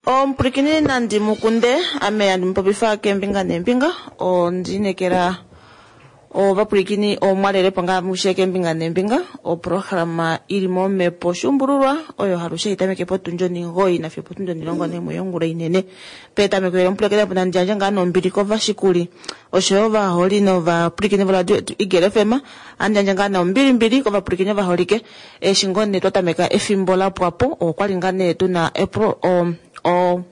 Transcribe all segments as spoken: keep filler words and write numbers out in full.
Omupwilikini nandi mukunde ame handi mupopifa keembinga neembinga ondiinekela ovapwilikini omwalelepo ngaa amushe keembinga neembinga oprograma ili momhepo shuumbululwa oyo halushe haitameke potundi onimugoi nafiyo opotundi onilongo naimwe yongula inene. Petameko elo omupwilikini apo nandi yandje ngaa nombili kovashikuli oshoyo ovaholi novapwilikini voradio yetu Eagle F M ohandi yandje ngaa nombilimbili kovapwilikini ovaholike eshi ngoo nee twatameka efimbo lapwapo okwali ngaa nee tuna epro o, o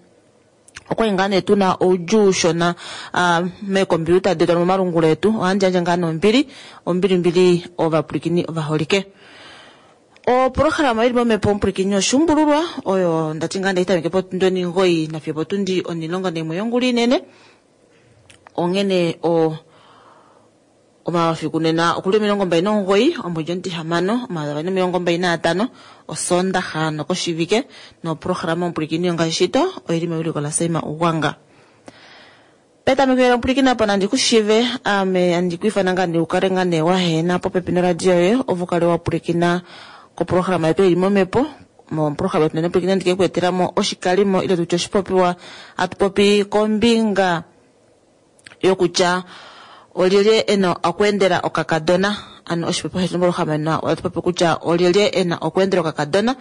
okwali ngaa nee tuna oudjuu ushona uh, meekompiuta detu nomomalungula etu ohandi yandje ngaa nombili ombilimbili ovapwilikini ovaholike. Oprograma ili momhepo omupwilikini oshuumbululwa oyo ndati ngaa ndaitameke potundi onimugoi nafiyo opotundi onilongo naimwe yongula inene onghene o omafiku nena okuli omilongo mbali nomugoi omwedi omutihamano omayovi avali nomilongo mbali naatano osondaxa nokoshivike noprograma omupwilikini ongaashi shito oili mewiliko laSaima Ugwanga. Petameko elo omupwilikini apa nandi kushive ame andi kwiifana ngaa nee ukale ngaa nee wahena popepi noradio yoye opo ukale wapwilikina koprograma yetu ili momhepo moprograma yetu nena omupwilikini andi kekweetelamo oshikalimo ile tutye oshipopiwa hatu popi kombinga yokutya olyelye ena okweendela okakadona ano oshipopiwa shetu moprograma ena ohatu popi kutya olyelye ena okweendela okakadona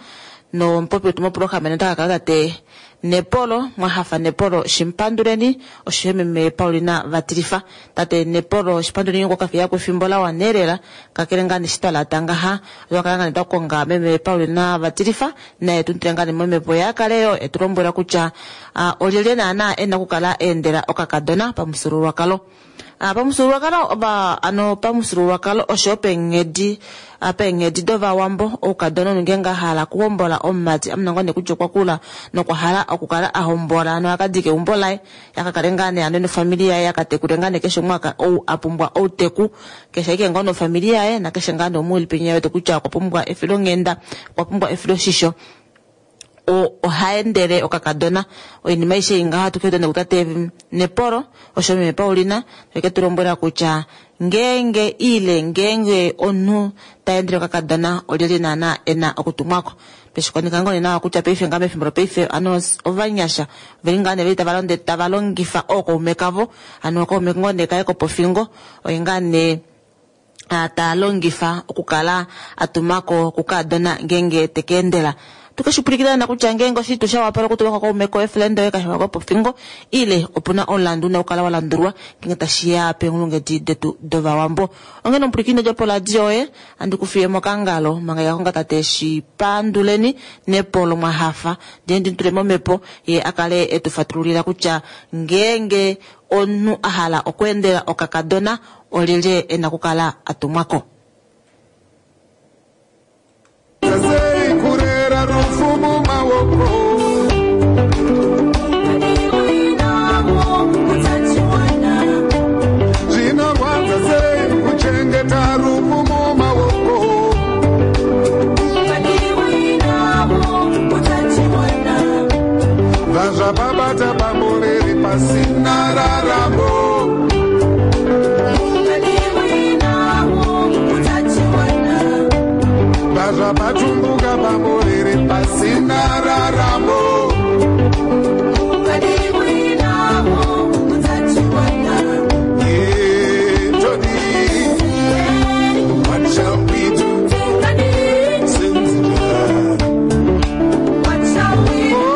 nomupopi wetu moprograma ena ota kakala tate Nepolo Mwahafa Nepolo Shimpanduleni oshoyo meme Paulina Vatilifa. Tate Nepolo Shimpanduleni okwa kafiya kwefimbo la wana elela kakele ngaa nee shitwalata ngaha otwa kala ngaa nee twakonga meme Paulina Vatilifa naye tumutule ngaa nee momhepo ye akale yo etulombwela kutya uh, olyelye naana ena okukala eendela okakadona pamufyuululwakalo. Uh, pamufyuululwakalo oba ano pamufyuululwakalo oshoyo peenghedi uh, peenghedi dovawambo oukadona omunhu ngeenge ahala okuhombola omumati amona ngoo nee kutya okwa kula nokwa hala okukala ahombola ano akadika eumbo laye akakale ngaa nee ano nofamili yaye akatekule ngaa nee keshe umwe ou apumbwa outeku keshe ashike ngoo nofamili yaye nakeshe ngaa nee umwe eli penya wete kutya okwa pumbwa efilonghenda okwa pumbwa efiloshisho ohaendele okakadona oinima aishe ingaho hatu keeta nekutate Nepolo osho meme Paulina eke tulombwela kutya ngeenge ile ngeenge omunhu taendele okakadona olyelye naana ena okutumwako peshikonika ngoo nee nawa kutya paife ngaa mefimbo lopaife ano ovanyasha oveli ngaa nee veli tavalonde tavalongifa ookaume kavo ano okaume ngoo nee kaye kopofingo oye ngaa nee talongifa okukala atumako kukadona ngeenge tekeendela tukeshipwilikina kutya ngeenge oshitu shawapala okutuma kaume koye friend yoye kashiwa kopofingo ile opuna omulandu una okukala walandulwa ngeenge tashiya peenghulunghedi detu dovawambo. Onghene omupwilikini dja poradio yoye andi kufiye mokangalo manga yakonga tate Shipanduleni Nepolo Mwahafa ndee ndimutule momhepo ye akale etufatululila kutya ngeenge omunhu ahala okweendela okakadona olyelye ena okukala atumwako. Kurera rufu mumaoko zvinorwadza sei kuchengeta rufu mumaoko bva zvapabata pamuviri pasina raramo bva zvapatumbuka pamuviri pasina raramo. What shall we do? What shall we do? Oh,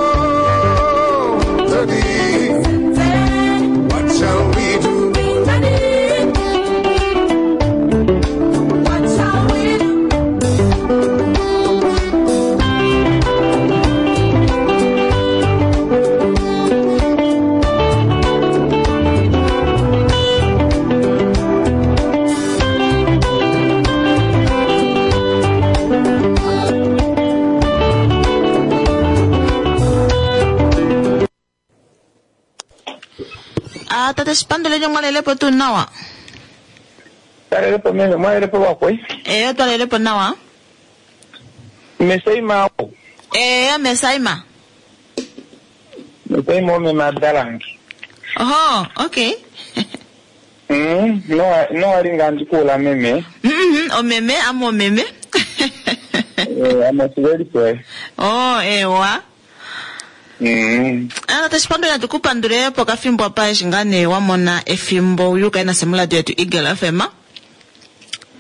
Tony, what shall we do? What shall we do? Ah, tate Shipanduleni omwalelepo tuu nawa? Talelepo meme, mwalelepo wakwe. Eyo twalelepo nawa. Mesaima. Eyo mesaima. Mesaima ome madalangi. Oho, okay. Mm, no no alinga ndikula meme. Mhm, omeme amo omeme. Eh, amo siweli kwe. Oh, ewa. Mm. Ah, tashipandula tukupandule pokafimbo apa eshi ngaa nee wa mona efimbo uyuka nase moladio yetu Eagle F M.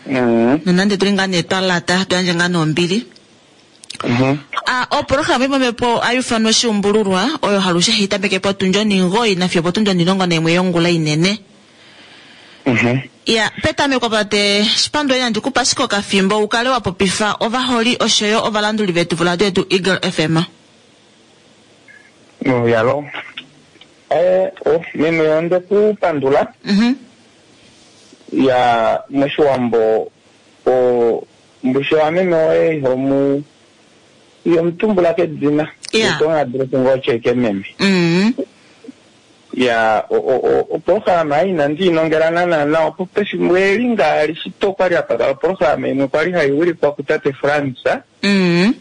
Mm. Nonande tuli ngaa nee twa lata tuyandje ngaa nombili. Mhm. Ah, oprograma imwepo ayufanwa oshiumbululwa oyo halushe hitameke potundi oningoyi nafiyo potundi onilongo naimwe yongula inene. Mhm. Ya, petameko pate shipanduleni nandi kupa ashike okafimbo ukale wa popifa ovaholi oshoyo ovalanduli vetu voladio yetu Eagle F M. No, yalo. Eh, oh, meme onde kupandula. Mhm. Ya moshiwambo o mbushe wa meme oye ihomu ihomutumbula kedina. Yeah. Utonga ngo cheke meme. Mhm. Ya o o o oprograma inandi inongela naana nawa opo pefimbo eli ngaali shito kwali hapa oprograma imwe kwali hai wilikwa kutate Frans. Mhm.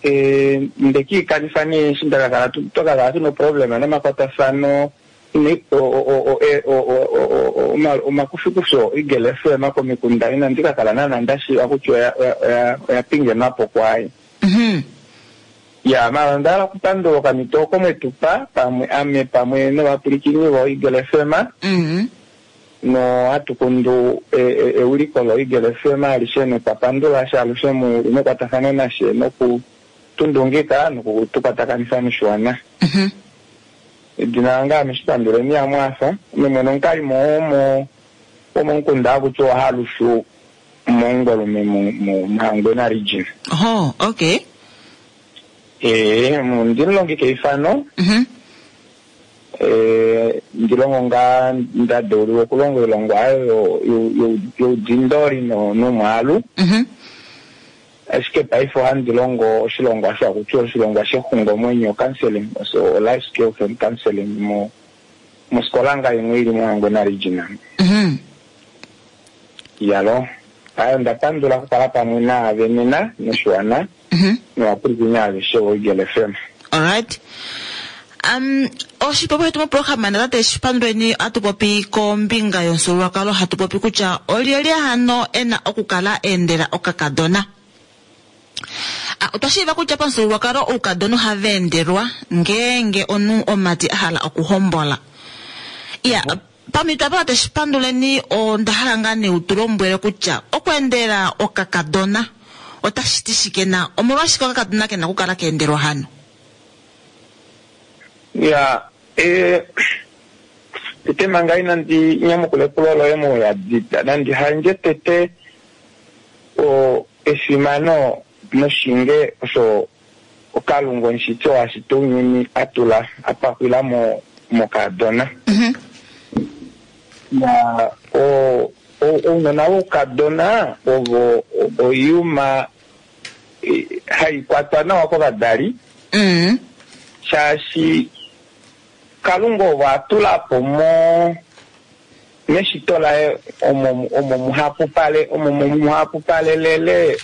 Eh, ndekiikanifa nee eshi ndakakala tu- twakakala tuna oproblema nomakwatafano ni- o- o- o- e- o- o- o- o- oma- omakufikufi o Eagle F M komikunda inandi kakala naana ndashiiva kutya oya- oya- oya- oya pingenwapo kwaye. Mhm. Ya, mara onda hala okupandula okamito oko mwetupa pamwe ame pamwe novapwilikini vo Eagle F M. Mhm. No hatu kundu e- e- euliko lo Eagle F M alishe notwapandula sha alushe mu mekwatafano nashe noku tundungika nokutukwatakanifa noshiwana. Mhm. Edina lange ame Shipanduleni Amwaasa, ame mwene omukalimo womo womomukunda hakutiwa Halushu mOngwelume mu- mu- muHangwena region. Oh, okay. Ee, mu- ndilongi keifano, Mhm. ee, ndilongo ngaa nda deuliwa okulonga oilongwa ayo yo- yo- yo- youdindoli no- nomwaalu. Mhm. Ashike paife ohandi longo oshilongwa osho hakutiwa oshilongwa shexungomwenyo counseling, so life skills and counseling mo mosikola nga imwe ili moHangwena region. Mhm. Yalo. Ayo ndapandula okukala pamwe naave nena noshiwana Mhm. novapwilikini aveshe vo Eagle F M. Alright. Um, oshipopi shetu moprograma natate Shipanduleni atupopi kombinga yomufyuululwakalo hatu popi kutya olyelye hano ena okukala eendela okakadona. Ah, otwa shiiva kutya pamufyuululwakalo oukadona ohava endelwa ngeenge omunhu omati a hala okuhombola. Ya, pamhito apa tate Shipanduleni onda hala ngaa nee utulombwele kutya okuendela okakadona otashi ti shike na omolwashike okakadona kena okukala keendelwa hano? Ya, eh, tete manga inandi nyamukula epulo loye mouyadi, nandi handje tete o efimano noshinge osho okalunga omushiti oo ashita ounyuni atula apakwila mo mokadona. Mhm. Na o o- ounona voukadona ovo oiyuma eh, hai kwatwa nawa kovadali Mhm. shaashi Kalunga ovo atulapo mo meshito laye omo omo muhapupale omo muhapupalelele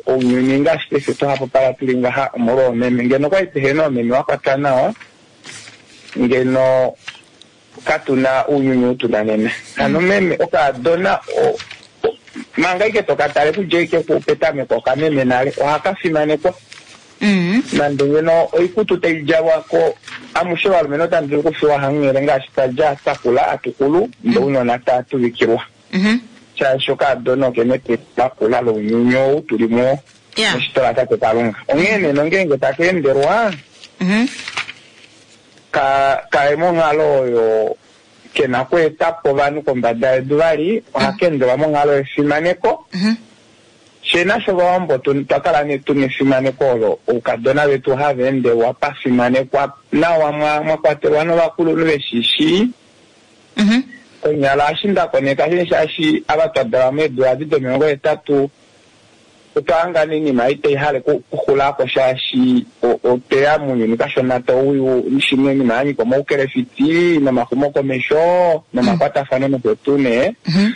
ounyuni ngaashi paife twahapupala tuli ngaha omolwa oomeme. Ngeno okwali tuhena oomeme wa kwatwa nawa ngeno katuna ounyuni ou tuna nena. Hano meme okaadona o- o- manga ike tokatale kudja ike petameko okameme nale ohaka fimanekwa. Mhm. Nande ngeno oikutu taidjalwako amushe ovalumenhu otamu dulu okufiwa hanghele ngaashi twadja twakula atukulu ndee ounona tatuvikilwa. Mhm. Shaashi okaadona okena eteelelo lakula lounyuni ou tuli muwo Ya. meshito latate Kalunga. Onghee nee nongeenge taka endelwa Mhm. ka kaye monghalo oyo kena okweetapo ovanhu kombada yedu vali, ohaka endelwa monghalo yefimaneko. Mhm. Fye nasho ovawambo twa kala nee tuna efimaneko olo oukadona vetu hava endelwa pafimanekwa nawa mwa mwakwatelwa novakulunhu veshishii. Mhm. Konyala eshi nda koneka shini shaashi ava twa dalwa meedula edi domilongo hetatu otwa hanga oinima ei tai hale okuxulako shaashi otweya mounyuni kashona tauyu shimwe oinima ya nyika omaukelefiti nomaxumokomesho nomakwatafano nosho tuu nee. Mhm.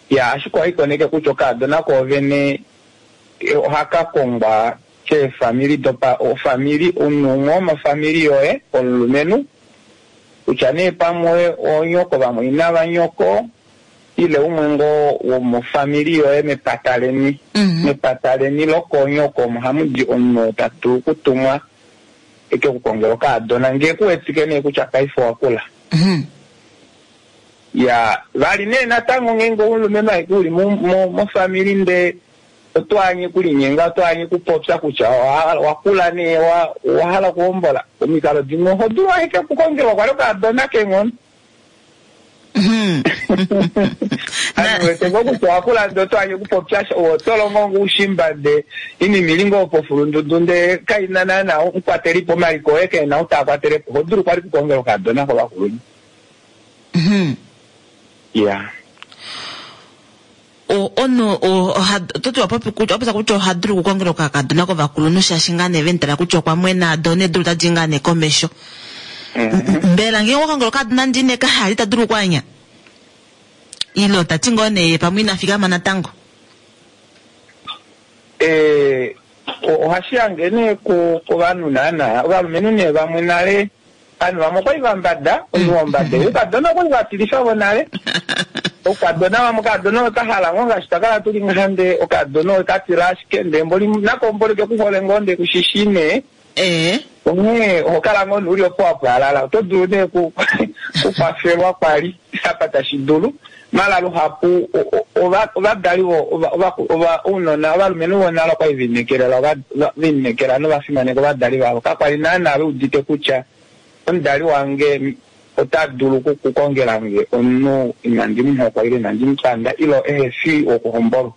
Ya, ashike ohaikoneke kutya okaadona koovene ohaka kongwa keefamili dopa ofamili omunhu umwe womofamili yoye omulumenhu kutya nee pamwe onyoko vamwe vanyoko ile umwe ngoo womofamili yoye mepata leni. Mhm. Mepata leni lokonyoko omo hamu di omunhu oo ta dulu okutumwa eke kukongela okaadona ngee kuwetike nee kutya paife owakula. Mhm. Ya vali nee natango ngeenge omulumenhu aeke uli mofamili ndee otwaanye kulinyenga, otwaanye kupopya kutya wakula nee owahala okuhombola, omikalo dimwe oho dulu ashike okukongelwa kwali okaadona keenghono. Ame wete ngoo kutya owakula ndee otwaanye okupopya oto longo ngoo oushimba ndee inima ili ngoo pofulundudu ndee kaina naana omukwatelipo omaliko oye keena ou taakwatelepo, oho dulu kwali okukongela okaadona kovakulunhu. Ya. Omunhu ototi wapopya kutya oha dulu okukongela okakadona kovakulunhu shaashi ngaa nee vemutala kutya okwa mwena doo needulu otadi ngaa nee komesho. Mbela ngeenge okwa kongela okakadona ndee ine kahala ita dulu okwaanya? Ile otati ngoo nee pamwe ina fikama natango? Ohashi hange nee kovanhu naana, ovalumenhu nee vamwe nale, ovanhu vamwe okwali vambada, omunhu wombada, oukadona okwali vatilifa vonale. Oukadona vamwe okadona okahala ngoo ngaashi twakala tuli ngaha ndee okadona okatila ashike ndee mboli nako mboli kekuhole ngoo ndee kushishi nee. Onghee oho kala ngoo uli opo wapwalala, oto dulu nee kukwafelwa kwali apa tashi dulu. Mala luhapu ovadali ounona ovalumenhu vonale okwali velinekelela velineekela novafimaneka ovadali vavo, kakwali naana veudite kutya omudali wange ota dulu okukongela nge omunhu inandi muhokwa ile inandi mupanda ile ehe fi wokuhombolwa.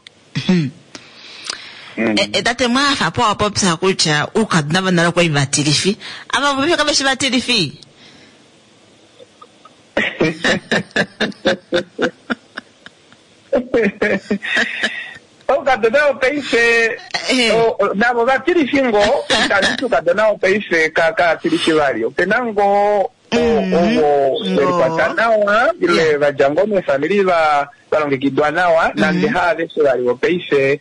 Tate mwahafa po wapopya kutya oukadona vonale okwali vatilifi, ava vopaife kave shi vatilifi? Oukadona vopaife navo vatilifi ngoo, itandi ti oukadona vopaife kavatilifi vali, opena ngoo ovo velikwata nawa ile vadja ngoo meefamili valongekidwa nawa, nande haaveshe vali vopaife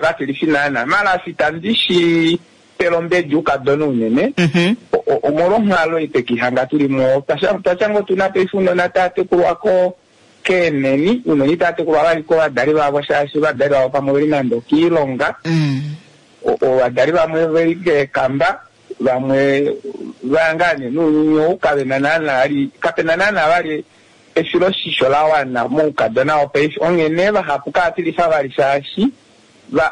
vatilifi naana. Mala itandi shi pele ombedi oukadona unene, omolwonghalo itekihanga tuli muwo. Twatya ngoo tuna paife ounona tava tekulwa keeneni, ounona itava tekulwa vali kovadali vavo shaashi ovadali vavo pamwe oveli nande okiilonga, ovadali vamwe veli keekamba, vamwe vaya nee nounyuni ou kavena naana kapena naana vali efiloshisho lawana moukadona wopaife. Onghene vahapu kavatilifa vali shaashi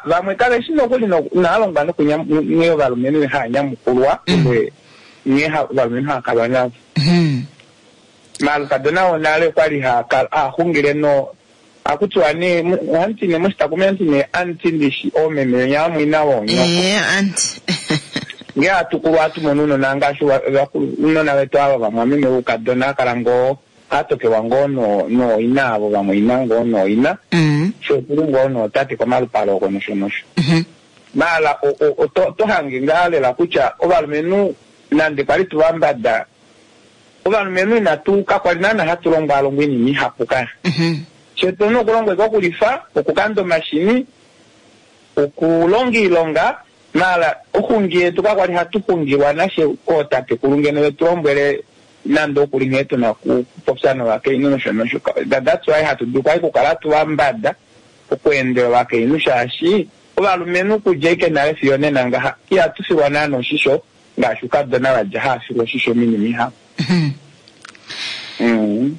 vamwe kaveshi nokuli inaalongwa nghee ovalumenhu hava nyamukulwa ile nghee ovalumenhu hava kalwa navo. Mala oukadona wonale okwali haxungile no hakutiwa nee ohamuti nee moshitakumi hamuti nee anti ndishi oomeme venya vamwaina voonyoko. Ngee hatukulwa hatu mono ounona ngaashi ounona vetu ava vamwameme voukadona hakala ngoo hatokelwa ngoo nooina avo vamwaina ngoo nooina, fye otuli ngoo nootate komalupale oko nosho nosho. Mala oto hange ngaa lela kutya ovalumenhu nande kwali tuvambada, ovalumenhu inatu kakwali naana hatu longwalongwa oinima ihapu kaya. Fye otuna okulongwa okulifa, okukanda omashini, okulonga oilonga, mala oxungi yetu kakwali hatu xungilwa nashe kootatekulu ngeno vetu lombwele nande okuli nghee tuna okupopya novakainhu nosho nosho. That's why hatu dulu kwali okukala tuvambada okweendela ovakainhu shaashi ovalumenhu okudja ashike nale fiyo nena ngaha ihatu filwa naana oshisho ngaashi oukadona vadja hava filwa oshisho minima ihapu.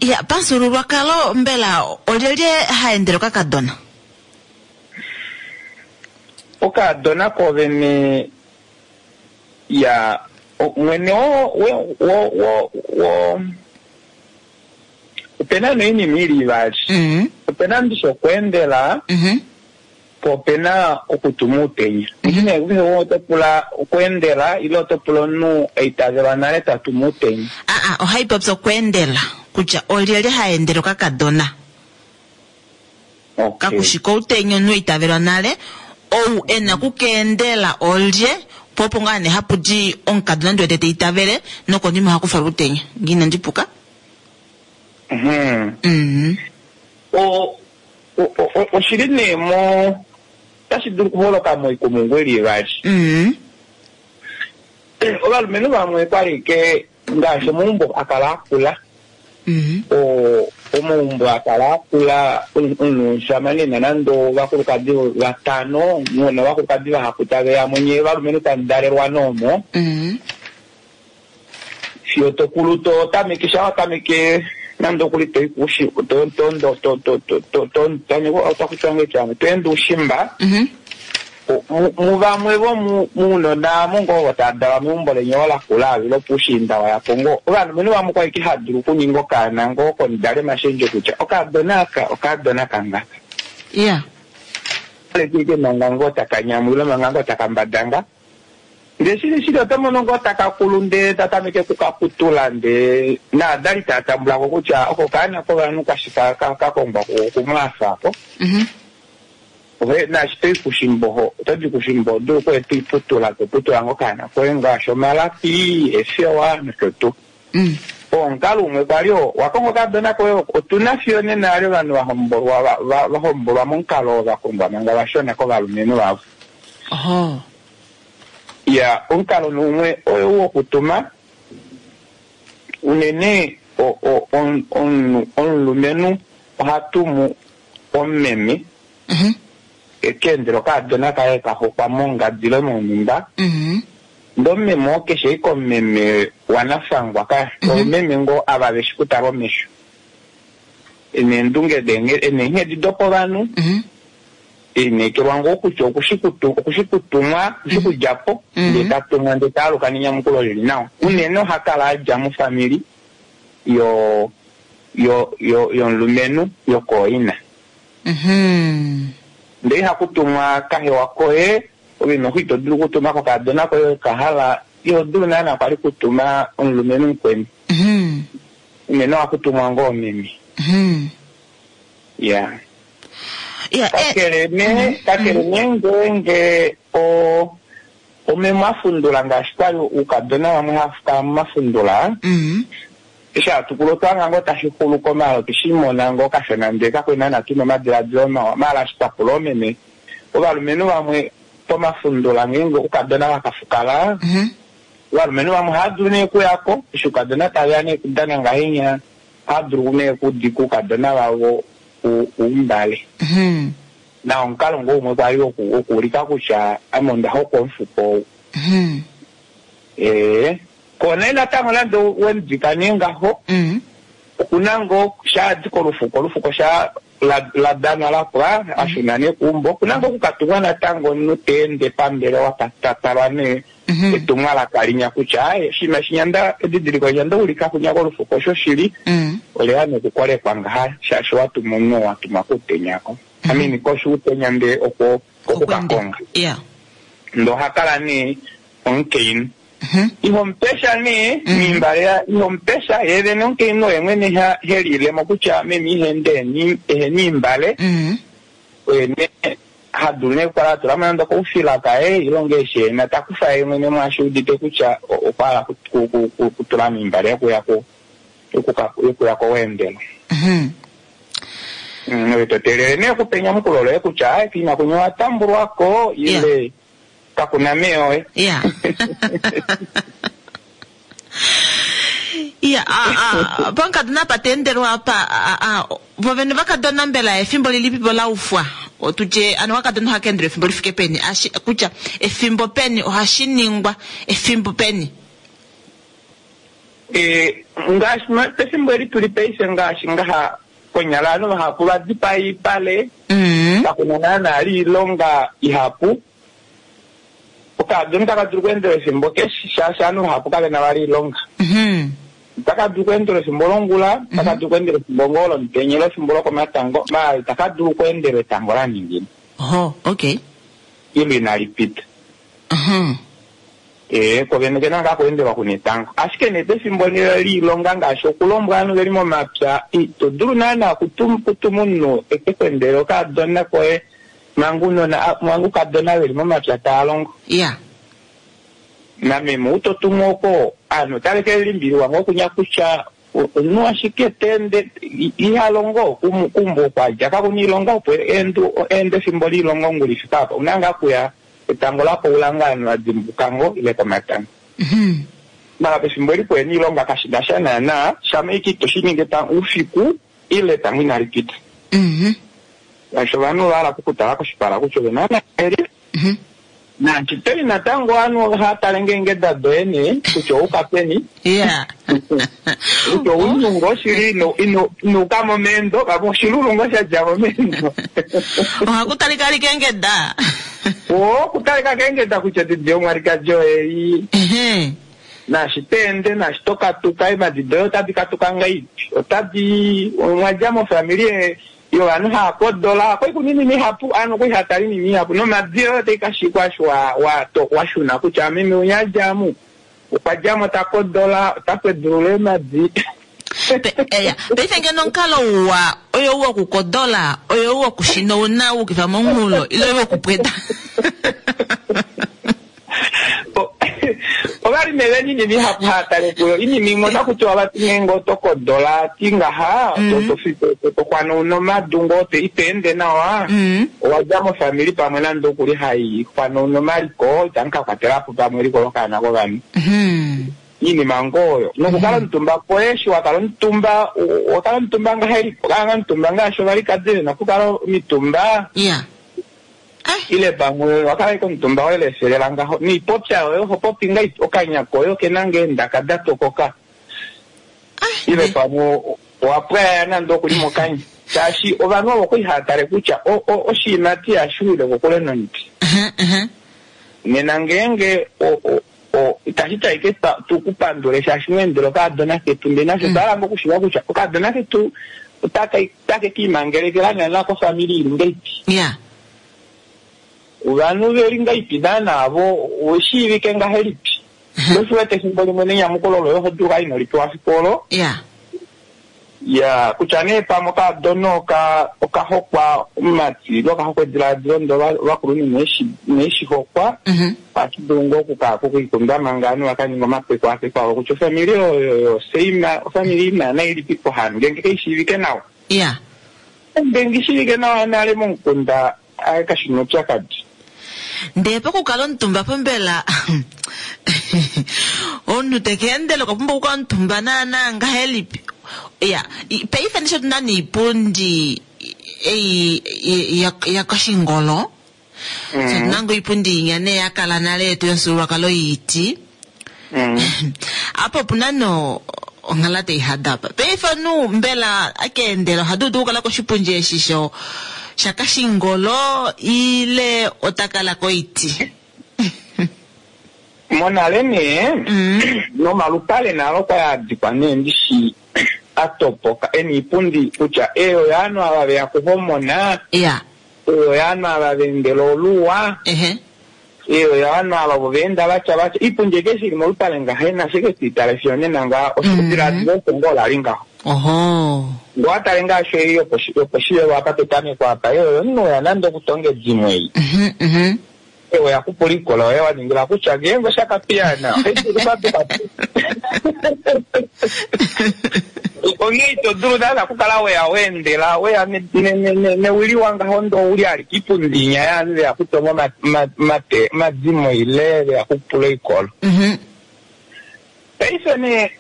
Ya, pamufyuululwakalo mbela olyelye haendele okakadona? Okadona kovene ya mwene wo wo wo wo opena noinima ili ivali. Opena ndishi okweendela, po opena okutuma outenya. Ndine oto pula okweendela ile oto pula omunhu aitavelwa nale tatuma outenya. Aa, ohaipopya okweendela kutya olyelye haendele okakadona. Kakushi koutenya omunhu aitavelwa nale, ou ena okukeendela olye, po opo ngaa nee hapu di omukadona ndi wete teitavele nokonima ohakufa outenya. Ngee inandi puka? Oshili nee mo otashi dulu okuholoka moikumungu ili ivali. Ovalumenhu vamwe kwali ke ngaashi omaumbo akala akula, Omaumbo akala akula omushamane nando ovakulukadi vatano novakulukadi vahapu tave ya monye valumenhu tamudalelwa noomo Mhm. fiyo tokulu to tameke sha watameke nande okuli toi kushi to to to to to to to to tameke otakutwa ngechamwe toende ushimba Mhm. Mu- muvamwe vomuunona mongo tadalwa meumbo lenye lakula lopuushiinda wayapo ngo ovanhu vamwe kwali hadulu okuninga okaana ngo komudale mashendjo kutya okadona aka okadona kangaka Yeah. alekike manga ngo taka nyamwila manga ngo taka mbadanga ndee shili shili oto mono ngo taka kulu ndee tatameke kukaputula ndee naadali tatambulako kutya oko kaana kovanhu kashi ka- ka- kakongwa kumwaafako Mhm. ohe naashi toi kushimboho otodi kushimbo odulu koye toiputula toputula ngo kaana koye ngaashi omalapi efewa nosho tuu Mm. omukalo umwe kwali oo wakongo okadona koye otuna fiyo nena ali ovanhu vahombolwa va- va- vahombolwa momukalo oo vakongwa manga vashona kovalumenhu vavo Oho. ya omukalo numwe oyo wokutuma unene o- o- on- omunhu- omulumenhu oha tumu omumeme Mhm. ekeendela okadona kaye kahokwa mongadi ile monhumba Mhm. ndee omumeme oo keshe ike omumeme wanafangwa ka Mhm. omumeme ngoo ava veshi kutala omesho eneendunge denge- eneenghedi dopovanhu Mhm. elineekelwa ngoo kutya okushikutu okushikutumwa okushikudjapo Mhm. ndee tatumwa ndee taaluka nenyamukulo lili nawa unene oha kala adja mofamili yo yo yo yomulumenhu yokooina Mhm. ndee ihakutumwa kahewa koye ove noho ito dulu okutuma kokadona koye kahala iho dulu naana kwali kutuma omulumenhu mukweni Mhm. unene ohakutumwa ngoo meme Mhm. ya Yeah, eh, kakele ne kakele ne ngeenge o omeme afundula ngaashi kwali uukadona vamwe hafukala momafundula Mhm. eshi hatukulu otwanga ngoo tashi xulu komalo tushimona ngoo kashona ndee kakwena na tuna omadiladilo mawa maala eshi twakula omeme ovalumenhu vamwe pomafundula ngeenge ukadona vakafukala Mhm. ovalumenhu vamwe ohadulu nee okuyako eshi ukadona taveya nee kudana ngahenya ohadulu nee okudika ukadona vavo u- umbale Mhm. na omukalo ngoo umwe kwali woku- wokuulika kutya ame onda hokwa omufuko ou Mhm. ee kona natango nande wemudika nee ngaho Mhm. okuna ngoo shaadi kolufuko olufuko sha la- la danwa lapwa ashuna nee kuumbo okuna ngoo okukatumwa natango omunhu teende pambelewa ta- ta talwa nee Mhm. etumwalaka linya kutya aye oshinima shinya edidiliko linya ndaulika kunya kolufuko osho shili Mhm. oleya nokukolekwa ngaha shaashi watuma omunhu watuma kuutenyako amini koshi uutenya ndee okwo okukakonga Yeah. ndo ohakala nee omukainhu Mhm. ihomupesha nee Mhm. miimbale ihomupesha ye vene omukainhu oye mwene ha- helilemo kutya meme ihende eheni imbale Mhm. oye nee hadulu nee okukala atulamo nande okoufila kaye ilonga eshi ena takufa ye mwene mwaashi udite kutya o- okwa hala ku- ku- ku- ku- kutula miimbale yokuya ku- yokuka- yokuya koweendelo Mhm. Mm, oye toteelele nee okupa enyamukulo loye kutya aye kiina kunya owatambulwako ile kakuna meyoye Yeah. Yeah, ah, ah, pankadona apa teendelwa apa ah, ah, vovene vakadona mbela efimbo lilipipo laufwa otutye ano wakadona ohakeendelwa efimbo lifike peni Ashi, kutya efimbo peni ohashi ningwa efimbo peni Eh, ngaashi ma- pefimbo eli tuli paife ngaashi ngaha konyala ovanhu vahapu vadipa iipale mm. kakuna naana ali iilonga ihapu okadona taka dulu okweendela efimbo keshe shaashi ovanhu vahapu kavena vali iilonga mm taka dulu okweendela efimbo longula taka dulu okweendela efimbo ngoo lomutenya ile efimbo lokomatango maala itaka dulu okweendela etango la ningina oho okay ile inali pita Mhm. ee kovene kena ngaa kuendelwa kuna etango ashike nee pefimbo liilonga ngaashi okulombwa ovanhu veli momapya ito dulu naana kutum- kutuma omunhu eke kwendele okadona koye manga unona manga ukadona veli momapya taa longo yeah nameme utotumwa oko aanhu otave ke limbililwa ngoo kunya kutya o- omunhu ashike teende i- iha longo kum- kumbo okwadja kakuna iilonga opo eendu eende efimbo liilonga ongula ifika apa una ngaa kuya etango lapoula ngaa ovanhu vadimbuka ngo ile komatango Mhm. mala pefimbo eli kweni iilonga kashina sha naana shama ike ito shi ningi ta- uufiku Ile pamwe inali pita. Mhm. Shaashi ovanhu ova hala okukutala koshipala kutya ove naana eli. Mhm. Naashi toli natango ovanhu ohava tale ngeenge doye nee kutya ouka peni. Ya. Kutya ounhu ngoo shili ino- ino- inuuka mo meendo, pamwe oshilulu ngoo sha dja mo meendo. Ohaku talika alike eengeda. Oo, okutalika keengeda kutya didi yomwalikadi oye Ehe. naashi to ende naashi to katuka eemadi doye otadi katuka ngahelipi otadi omwa dja mofamili yovanhu hava kodola kwai kuna oinima ihapu ovanhu okwali hava tala oinima ihapu nomadi yoye otai ka shikwa eshi wa- wa- to- wa shuna kutya meme unya adja mu okwa djamo ta kodola ota kwedulula eemadi. Pe- eya. Paife ngeno omukalo uwa oyo u wokukodola oyo u wokushina ouna wuukifa momunghulo ile oyo wokupweda. O- ovalime veni inima ihapu hava tale kuyo inima imwe otaku tiwa vati ngeenge oto kodola ti ngaha to- to- to- to- to xwanauna omadu ngoo te- ito ende nawa Mhm. owa dja mofamili pamwe nande okuli hai xwanauna omaliko itamu ka kwatelapo pamwe eliko lokaana kovanhu Mhm. iinima ngoo oyo nokukala omutumba kwoye eshi wa kala omutumba o- owa kala omutumba ngahelipi okala omutumba ngaashi ovalikadi vena okukala omitumba Ya. Ai. ile pamwe wakala ike omutumba woye lefelela ngaho niipopya yoye oho popi nga okanya koye okena ngee endaka da tokoka Ai. ile pamwe owa pwaya nande okuli mokanya shaashi ovanhu ovo kwali hava tale kutya o- o- oshiimati ihashi wile kokule nomuti Mhm, mhm. nena ngeenge o- o- o- itashi ti ashike twa- tukupandule shaashi mweendela okaadona ketu ndee nasho otwa hala okushiiva kutya okaadona ketu otaka otake kiimangelekela naana kofamili ili ngahelipi Ya. ovanhu veli ngahelipi naana vo oweshiivike ngahelipi osho wete efimbo limwe nenyamukulo loye oho dulu ino lipewa fiku olo Ya. ya kutya nee pamwe okaadona oka okahokwa omumati ile okahokwa edilaadilo ndo ovakulunhu ineshi hokwa Mhm. ohashi dulu ngoo okukaa kokwiikunda manga ovanhu vakaninga omapekwaapeko avo kutya ofamili oyo yoseima ofamili naana ilipipo hano ngeenge kaishiivike nawa Ya. ngeenge ishiivike nawa nale momukunda aye kashina oupyakadi. Ndee pokukala omutumba pombela omunhu teke endele okwa pumbwa okukala omutumba naana ngahelipi ya i- paife ndisho tuna niipundi ei ya- ya kashingolo so tuna ngoo iipundi inya nee yakala nale yetu yomufyuululwakalo yiiti Mm. apa opuna no onghala taihada apa paife omunhu mbela akeendela ohadudu okukala koshipundi eshi sho shakashingolo ile otakala koiti. Monale nee Mm. nomalupale nalo kwali adikwa nee ndishi atopoka ena iipundi kutya eyo yaanhu ava veya kuhomona Ya. eyo yaanhu ava veendela oluwa Ehe. eyo yaanhu ava vo veenda vatya vatya iipundi eke shili molupale ngaha nashike twiitale fiyo nena nga oshidilaadilo osho ngoo lali ngaho Oho. ngoo watale ngaashi ei yoposhivelo apa petameko apa eyo yomunhu oya nande okutonga edimo ei Mhm, mhm. eyo yakupula ikola oye waningila kutya ngeenge oshakapiyana onghee ito dulu naana okukala weya weendela weya ne- ne- ne- ne- newiliwa ngaho ndo uli alike ipundi inya yaanhu veya kutonga oma- ma- mate- omadimo ile veya kupula oikolo Mhm. paife nee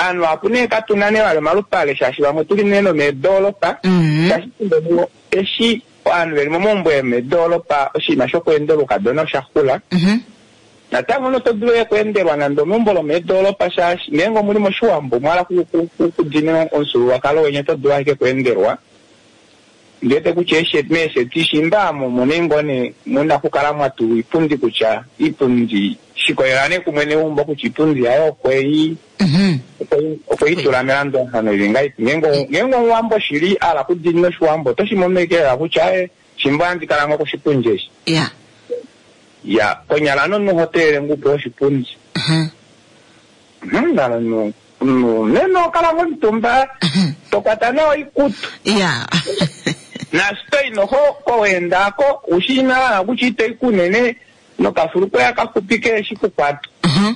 aanhu apu nee katuna nee vali omalupale shaashi vamwe tuli nee nomeedolopa Mhm. shaashi fimbo limwe eshi ovanhu veli momaumbo yomeedolopa oshinima shokuendela oukadona osha xula Mhm. natango noto dulu okuendelwa nande omeumbo lomeedolopa shaashi ngeenge omuli moshiwambo mwala kudina omufyuululwakalo weni oto dulu ashike okuendelwa ndiwete kutya eeshe- meesheti shimba amo mune ngoo nee muna okukala mwatulwa iipundi kutya iipundi shikolela nee kumwe neumbo kutya iipundi yaye okwei Mhm. okwei- okweitula melandulafano ili ngahelipi ngeenge ngeenge omuwambo shili ala kudinina oshiwambo oto shimomekelela kutya e shimba ohandi kala ngoo koshipundi eshi Ya. ya konyala nomunhu oho teelele ngoo upewe oshipundi Mhm. Mhm, nalo nu- nu- neno okala ngoo omutumba Mhm. tokwata nawa oikutu Ya. naashi toyi noho koweendako ushina kutya itoyi kunene nokafulukweya kaxupi keeshi kukwata Mhm.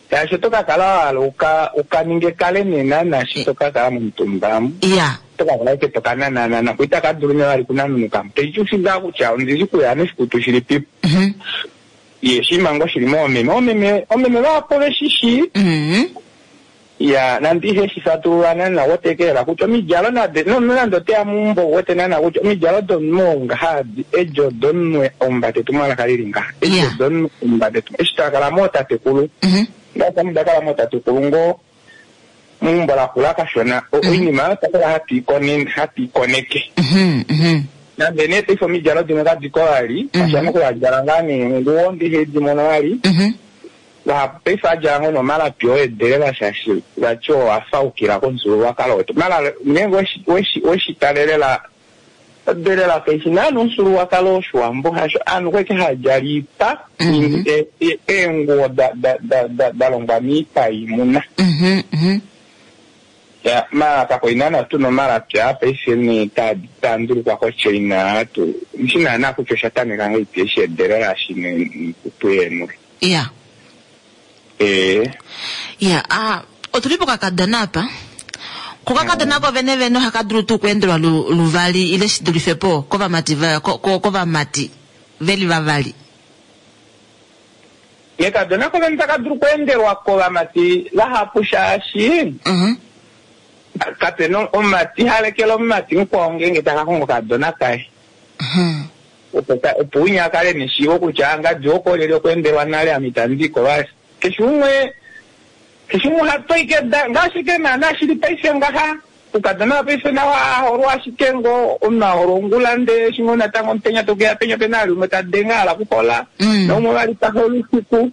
shaashi oto kakala wahala uka ukaninge kale nena naashi to kakala momutumba amu Ya. oto kakala ike tokanananana ko itaka dulu nee vali kunanunuka teiti ushingaa kutya ondili kuya noshikutu shili pipo Mhm. ye shima ngoo shili moomeme oomeme oomeme vahapu veshishi Mhm. Ya nande ihe shi fatulula naana wotekelela kutya omidjalo nade nonande oteya muumbo wete naana kutya omidjalo domunhu ngaha edi odomunhu omumbate tumwalaka lili ngaha edi Yeah. odomunhu omumbate tum- eshi twakala mootatekulu Mhm. ngaashi ame ndakala mootatekulu ngoo muumbo lakula kashona o- oinima oyo twakala hatu ikone- hatu ikoneke Mhm. Mhm. nande nee paife omidjalo dimwe kadiko vali Mhm. ashana okuyadjala ngaa neenguwo ndihe dimono vali Mhm. vahapu paife adjala ngoo nomalapi oedelela shaashi vati owafaukila komufyuululwakalo wetu mala ngeenge weshi- weshi- weshitalelela odelela kaishi naana omufyuululwakalo woshiwambo hasho aanhu kweke hadjala iipa Mhm. e- e- eenguwo da- da- da- da- da longwa miipa yiimuna Mhm. Mhm. Ya, mala kakoi naana tuna omalapi aa paife nee taa- taa ndulukwa kochina tu shi naana kutya osha tameka ngahelipi eshi edelela shine tuyenule Yeah. ee Ya, ah, otuli pokakadona apa. Kokakadona ko vene vene ohaka dulu tuu okuendelwa lu- luvali ile shi dulife po kovamati va- ko- ko- kovamati veli vavali. nekadona kovene taka dulu okuendelwa kovamati vahapu shaashi Mhm. kapena omumati halekela omumati mukwao ngeenge taka kongo okadona kaye Mhm. opo ka- opo unya akale neshiivo kutya ngadi okolyeli okuendelwa nale ame itandiko vali keshe umwe keshe umwe ohatoike da ngaashi ke naana shili paife ngaha ukadona paife nawa aholwa ashike ngo omunhu aholwa ongula ndee shimwe natango omutenya tokeya penya pena ali umwe tadenga ala kuhola Mm. naumwe vali tahola usiku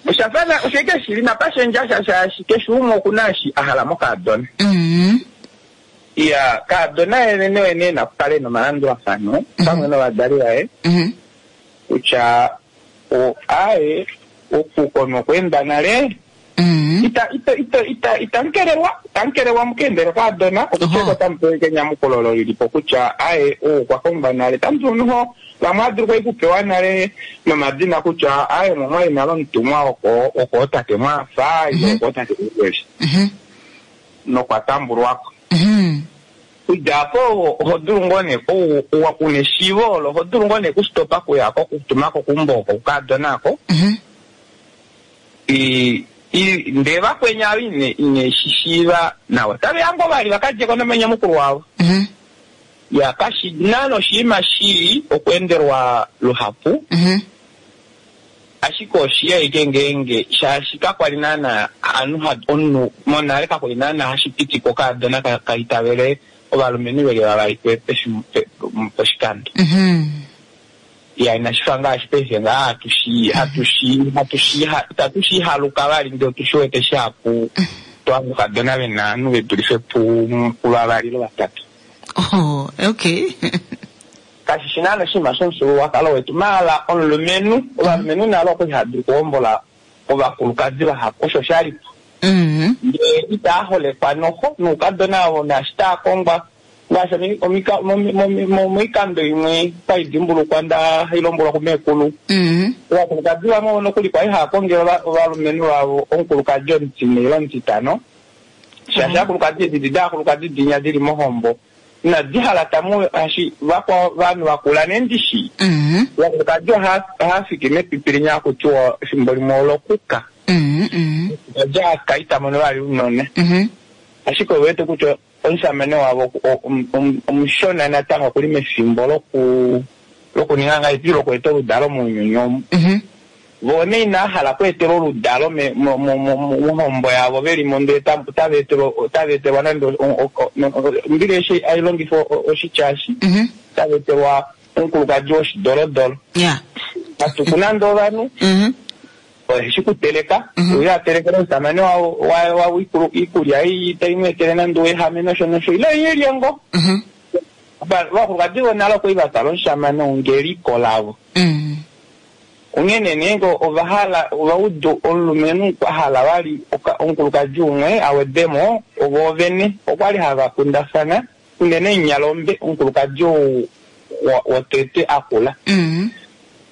oshafana oshaike shili napashendja shaashi keshe umwe okuna eshi a hala mokadona Mhm. iya kaadona yene wene nakukale nomalandulafano pamwe novadali vaye Mhm. kutya o aye okuko nokweenda nale Mhm. ita ita ita ita itankelelwa itankelelwa mukeendele kaadona Oho. okutya otamu pewa enyamukulo olo lilipo kutya aye ou okwa kongwa nale tamu dulu vamwe adulu kwai kupewa nale nomadina kutya aye momwali nale omutumwa oko oko otate mwafa ile Mhm. oko otate ukweli Mhm. nokwa tambulwako Mhm. kudja apo oho dulu ngoo nee ou- ou- una eshiivo olo oho dulu ngoo nee kustopa kuyako kutumako kumbo oko kukadona ako Mhm. I- i- ndee vakwenya avo ine ine shi shiiva nawa taveya ngoo vali vakadjeko nomanyamukulu wavo Mhm. ya kashi nana oshinima shii okweendelwa luhapu Mhm. ashike oshiya ike ngeenge shaashi kakwali naana anu ha- omunhu monale kakwali naana hashi pitikwa okaadona ka- kaitavele ovalumenhu veli vavali pe- pefimbo- pe- poshikando Mhm. ya inashi fa ngaashi paife ngaa hatushi hatushi hatushi itatu shi haluka vali ndee otushi wete shihapu twaanukadona vena ovanhu ve dulife pu- puvavali ile vatatu Oh, okay. kashi shi naana oshinima shomufyuululwakalo wetu maala omulumenhu ovalumenhu nalo okwali hava dulu okuhombola ovakulukadi vahapu osho shalipo Mhm. ndee itaa holekwa noho noukadona avo naashi taa kongwa ngaashi omi- omika- momi- momi- mo- moikando imwe kwaidimbulukwa nda hailombwelwa kumeekulu Mhm. ovakulukadi vamwe ovo nokuli kwali hava kongele ova- ovalumenhu vavo omukulukadi omutine ile omutitano shaashi aakulukadi edi daakulukadi dinya dili mohombo inadi hala tamu ashi vakwao vanhu vakula nendishi Mhm. ovakulukadi oha- ohafiki mepipi linya hakutiwa efimbo limwe olokuka Mhm. Mhm. oja aka itamono vali unona Mhm. ashike owete kutya omusamane wavo o- om- om- omushona natango okuli mefimbo loku lokuninga ngahelipi lokweeta oludalo mounyuni omu Mhm. vo nee inaa hala kweetelwa oludalo me- mo- mo- mo- mo- mohombo yavo velimo ndee tam- otava etelwa otava etelwa nande o- o- o- no- o- mbili eshi ailongifa o- oshityashi Mhm. otava etelwa omukulukadi woshidolodolo Yeah. matuku nande ovanhu Mhm. oheshi kuteleka Mhm. uye atelekele omusamane wawo wa- wawo iikulu- iikulya ei tai mu etele nande uehame nosho nosho ile yilye ngo Mhm. Va- vakulukadi vonale okwali vatala omushamane ongeliko lavo Mhm. onghene nee ova hala ovaudu omulumenhu kwa hala vali oka- omukulukadi umwe awedemo ovo vene okwali hava kundafana unene nyalombe omukulukadi ou wa- wotete akula Mhm.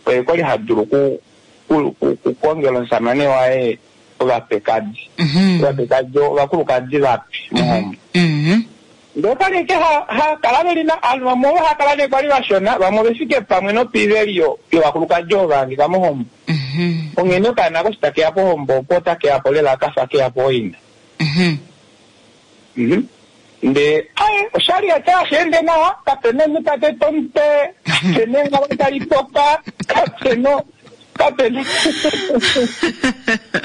oye kwali ha dulu ku- ku- ku- kukongela omusamane waye ovapekadi Mhm. ovapekadi ovakulukadi vapi mohombo Mhm. ndee okwali eke ha- ha kala veli na ovanhu vamwe ovo hakala nee kwali vashona vamwe ovefike pamwe nopiiveli yo- yovakulukadi ovo vahangika mohombo Mhm. Mhm. Onghene okaana koshi takeya pohombo opo otakeya po lela kafa keya po oina. Mhm. Mhm. Nde aye oshali ata asheende nawa kapena omunhu ta tete omutwe kapena engalo tali toka kapena kapena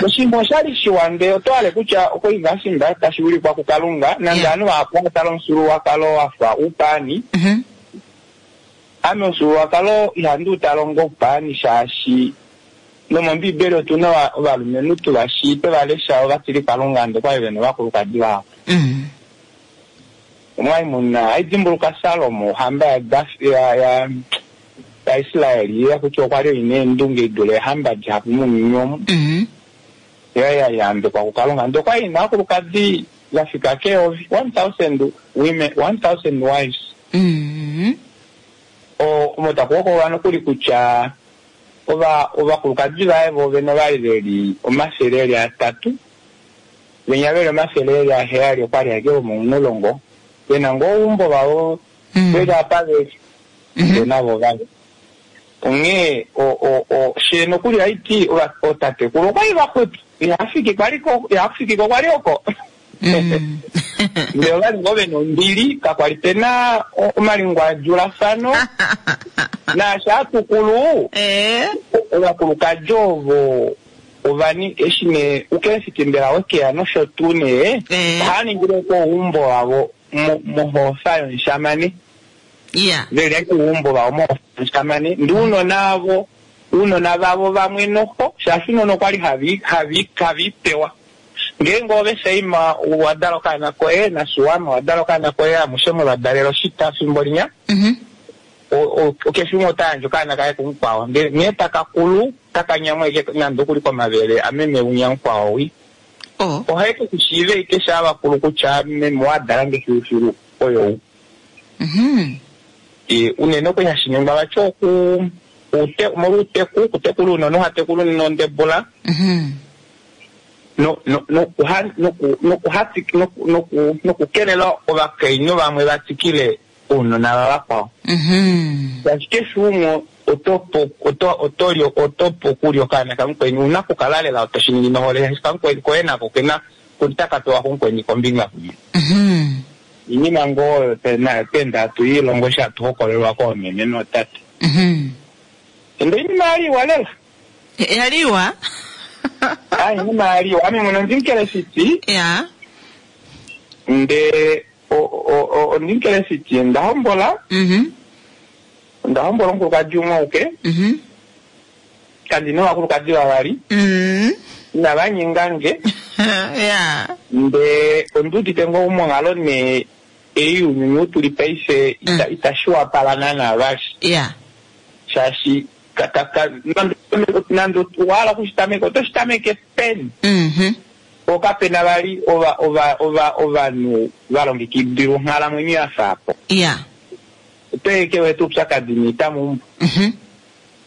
oshinima oshali shiwa ndee oto hale kutya okoingasimba tashi wilikwa kukalunga nande Yeah. ovanhu vahapu vatala omufyuululwakalo wafa uupaani Mhm. ame omufyuululwakalo ihandi u tala onga oupaani shaashi nomombiibeli otuna ova- ovalumenhu tuvashi twe lesha ovatili kalunga nde kwali vena ovakulukadi vavo Mhm. omwali muna aidimbuluka Salomo ohamba yaDaf- ya ya yaIsraeli ya kutya okwa li ina eendunge idule eehamba dihapu mounyuni omu Mhm. yo ya yambekwa kukalunga ndee okwali ina ovakulukadi vafika keyovi one thousand women one thousand wives Mhm. O- omo taku hokololwa nokuli kutya ova ovakulukadi vaye voovene ovali veli omafele eli atatu venya veli omafele eli aheyali okwali ashike vomomulongo vena ngoo oumbo vavo Mhm. veli apa veli Mhm. ndee navo vali onghee o- o- o- she nokuli haiti ova- ootatekulu okwali vaxwepo ihafiki kwali ko ihafiki ko kwali oko Mhm. ndee ovali ngoo vena ombili kakwali pena o- omalingwadjulafano naashi atukulu Eh. ovakulukadi ovo ovani eshi nee ukelefiki mbela wekeya nosho tuu nee Eh. ohava ningile ko oumbo wavo mo- mohoofa yomushamane Yeah. veli ashike oumbo vavo mohoofa yomushamane ndi uunona avo uunona vavo vamwe noho shaashi uunona okwali havi havi haviipewa ngeenge ove Saima wa dala okaana koye naSuwama wa dala okaana koye amushe mwevadalela oshita fimbo linya Mhm. o- o- keshe umwe ota yandje okaana kaye kumukwao ndele nghee taka kulu taka nyamwa ashike nande okuli komavele ameme unya mukwao wi Oh. ohaike kushiive ike sha vakulu kutya meme wadala nge filufilu oyo ou Mhm. E, unene okwali hashi ningwa vati oku ute molwouteku okutekula uunona ohatekula nondebula Mhm. no- no- nokuha- noku- nokuhati- noku- noku- nokukelela ovakainhu vamwe vatwikile ounona vavakwao Mhm. shaashi keshe umwe oto po- oto- oto li- oto po okulya okaana kamukweni una okukala lela toshi ningi nohole shaashi kamukweni koye nako kena kutaka pewa kumukweni kombinga kumwe Mhm. iinima ngoo oyo tena- twenda hatu ilongo eshi hatu hokololwa koomeme nootate Mhm. ende iinima yaliwa lela Yaliwa? Ah, iinima yaliwa ame mwene ondimukelesiti Yeah. nde o- o- o- ondimukelesiti nda hombola Mhm. onda hombola omukulukadi umwe auke Mhm. kandina ovakulukadi vavali Mhm. inava nyingange Yeah. nde ondiudite ngoo monghalo nee ei younyuni ou tuli paife ita- Mm. itashi wapala naana vali Yeah. shaashi ka- ka- ka- nande- nande owahala okushitameka oto shitameke peni Mhm. po kapena vali ova ova ova ovanhu va longekidilwa onghalamwenyo ya faapo Yeah. oto eke wete oupyakadi niita meumbo Mhm.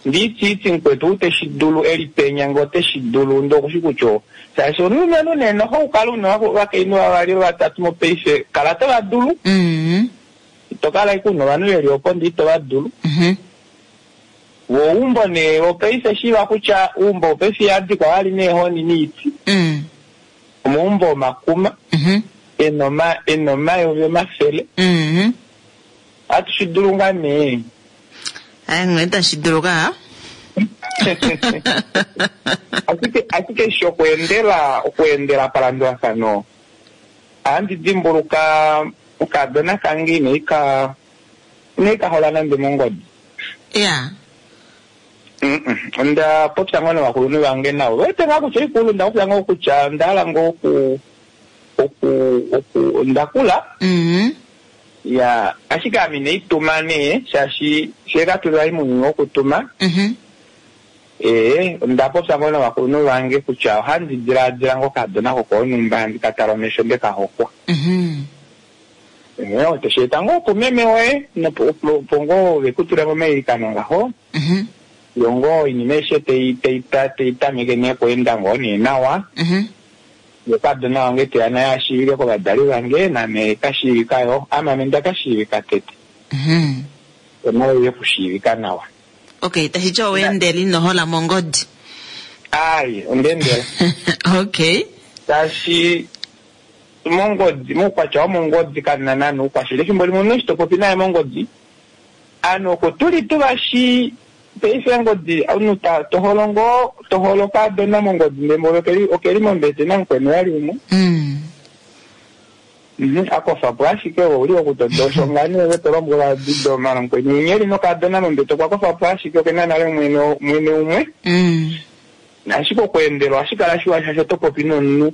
ndiitiiti mukwetu ou teshi dulu eli penya ngee oteshi dulu ndee okushi kutya shaashi omulumenhu nee noho ukala una ovakainhu vavali vatatu mopaife kala to va dulu Mhm. ito kala ashike una ovanhu veli opo ndee ito va dulu Mhm. wo oumbo nee wopaife shiiva kutya uumbo wopaife ihadikwa vali neehoni niiti Mm. omaumbo omakuma Mhm. ena oma- ena omayovi omafele Mhm. ohatu shi dulu ngaa nee Ai ngwe tashi dulu ka. ashike ashike eshi okweendela okweendela palandulafano ohandi dimbuluka okadona kange inaika inaika hola nande mongodi Yeah. Mm-mm. onda popya ngoo novakulunhu vange navo wete ngaa kutya ikulu nda popya ngoo kutya onda hala ngoo oku oku oku ondakula Mhm. ya ashike ame inaituma nee shaashi fyee katuli vali mounyuni wokutuma Mhm. ee onda popya ngoo novakulunhu vange kutya ohandi dilaadila ngoo okadona kokoonumba handi ka tala omesho nde ka hokwa Mhm. ee oteshi eta ngoo kumeme woye nopo opo ngoo vekutule momailikano ngaho Mhm. yo ngoo oinima aishe tei tei ta- tei tameke nee okweenda ngoo nee nawa Mhm. yo kadona wange teya naye ashiivike kovadali vange name kashiivika yo ame ame nda kashiivika tete Mhm. onayo ye kushiivika nawa Okay, tashi ti oweendela ino hola mongodi. Ai, onda endela. Okay. Shaashi mongodi, moukwatya womongodi kamuna naana oukwashili. Efimbo limwe omunhu eshi to popi naye mongodi, aanhu oko tuli tuvashi paife ongodi omunhu ta to holo ngoo to holo okaadona mongodi ndele mboli okeli okeli mombete namukweni vali umwe. Mm. Mhm, a kofa po ashike ove ouli okutoda osho ngaa nee ove to lombwelwa didoma namukweni winya eli nokaadona mombete okwa kofa po ashike okena nale mwene mwene umwe. Mm. Ashike okweendelwa ohashi kala shiwa shaashi oto popi nomunhu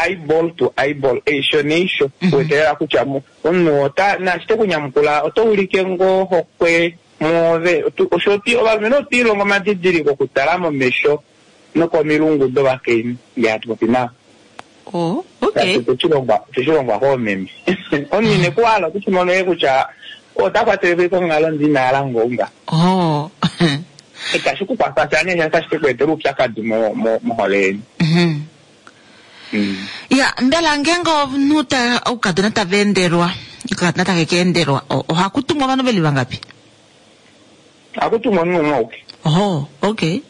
eyeball to eyeball, eisho neisho, Mhm. kuwetelela kutya mu- omunhu ota naashi te kunyamukula oto ulike ngoo hokwe mwoove. Otu- Osho oti ovalumenhu otwi ilongo omadidiliko okutala momesho nokomilungu dovakainhu ngee hatu popi navo. Oh, okay. Otwe shi longwa koomeme. Omunhu ine ku hala oto shi mono ashike kutya ota kwatele po konghalo ndi ina hala ngoo nga. Oh. Itashi ku kwafa sha nee otashi ke ku etela oupyakadi mo- mo- mohole yeni. Mhm. Mm. Ya, mbela ngeenge omunhu ta oukadona tava endelwa, okakadona take ka endelwa, o- ohaku tumwa ovanhu veli vangapi? Ohaku tumwa omunhu umwe auke. Oh, okay.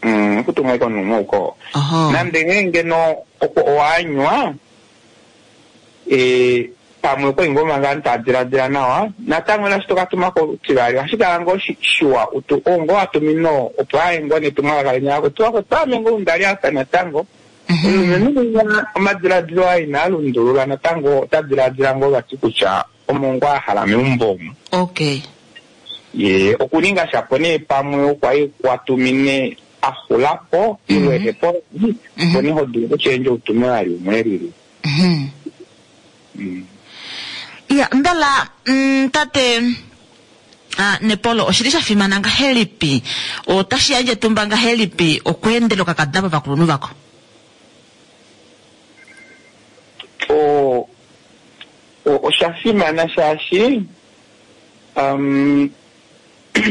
Mm, ohaku tumwa ashike omunhu umwe auke oo. Oho. Nande nghee ngeno oko owaanywa eh, pamwe okwali ngoo manga ovanhu tava diladila nawa, natango naashi toka tuma kotivali ohashi kala ngoo shi- shiwa utu oo ngoo watumine oo opo aye ngoo netumwalaka lenya lako tuwa ame ngoo ndali apa natango. Mhm. Omulumenhu winya omadiladilo aye inaa lundulula natango ota diladila ngoo vati kutya omo ngoo a hala meumbo omu. Okay. Ye okuninga shapo nee pamwe okwali watumine a xula po ile ehe po, opo nee ho dulu okushendja utume vali umwe elili. Mhm. Mm. Ya, mbela mm, tate ah, Nepolo oshili sha fimana ngahelipi otashi yandje etumba ngahelipi okweendela okakadona povakulunhu vako? O- o- osha fimana shaashi um,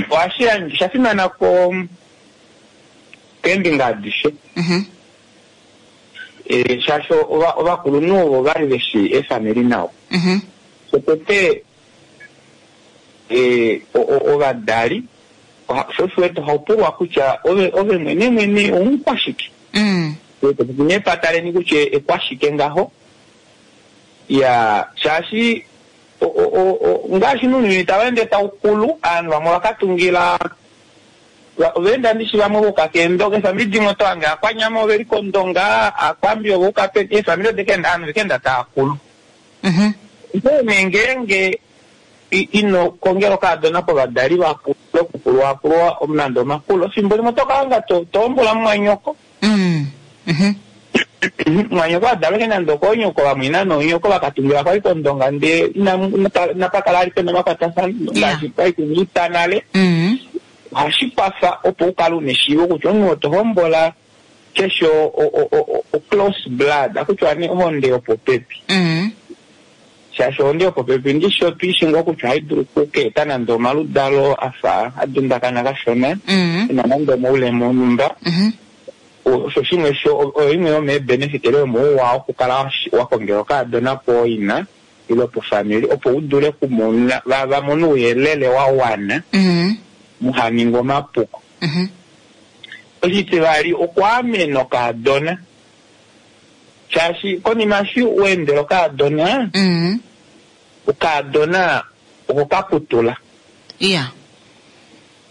ohashi yandje osha fimana ko keembinga adishe. Mhm. Eh, shaashi ova- ovakulunhu ovo vali veshi eefamili nawa. Mhm. Shotete eh, o- o- ovadali oha- sho osho wete ohaupulwa kutya ove ove mwene mwene omukwashike. Mm. Nepata leni kutya ekwashike ngaho. Ya shaashi o- o- o- o- ngaashi nounyuni tau ende tau kulu, aanhu vamwe ovakatungila va- ovaenda ndishi vamwe voka keendonga, eefamili dimwe oto hange aakwanyama oveli kOndonga, aakwambi ovouka peni, eefamili odekaenda aanhu vekaenda taa kulu. Mhm. Onghee nee ngeenge i- ino kongela okaadona povadali vakulu okukulwaakulwa nande omakulo, efimbo limwe oto ka hanga to to hombola mumwanyoko. Mm. Mhm. Mwanyoko adalwa ashike nande okoonyoko vamwina noonyoko vakatungila kwali kOndonga ndee inamu- inapa inapa kala ali pena omakwatafano ngaashi kwali kuna nale. Mm. Ohashi kwafa opo u kale una eshiivo kutya omunhu oo to hombola keshe o- o- o- o- o close blood, akutya nee ohonde yopopepi. Mm. Shaashi ohonde yopopepi ndishi otwiishi ngoo kutya ohayi dulu okukeeta nande omaludalo afa a dundakana kashona, Mm. ena nande omaulema onhumba. Mhm. Osho shimwe sho oyo imwe yomeebenefit ile yomouwa wokukala wa- wa kongela okaadona pooina ile pofamili opo u dule okumona va va mone ouyelele wa wana Mm. muha ninge omapuko. Mhm. Oshitivali okwaamena okaadona shaashi konima eshi wa endela okaadona, Mm. okaadona oko ka putula. Ya.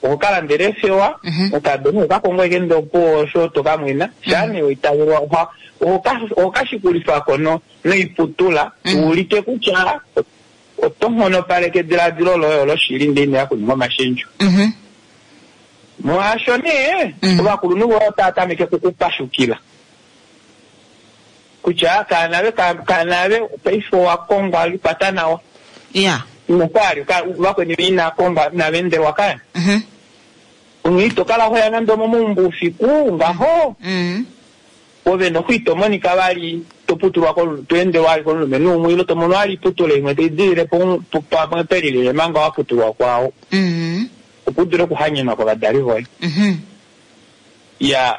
Oko ka landela eefewa, Mhm. okaadona oko ka kongo ashike ndee opuwo osho to ka mwena, shaa nee waitavelwa oha- oho ka- oho ka shikulifako no noiputula Mhm. uulike kutya oto nghonopaleke ediladilo loye olo shili ndee inoya kuninga omashendjo. Mhm. Molwaasho nee Mhm. ovakulunhu voye otava tameke okukupashukila kutya kaanave kaanave paife owa kongwa likwata nawa. Ya. Inokwali vakweni inaa kongwa inava endelwa kaya. Mhm. Onghee ito kala hoya nande omomaumbo oufiku ngaho Mm. ove noku ito monika vali to putulwa ko- to endelwa vali komulumenhu umwe ile to mono vali iputula imwe tai dilile po- po- pamwe pelilile manga wa putulwa kwao Mm. opo u dule okuhanyenwa kovadali voye. Mhm. Ya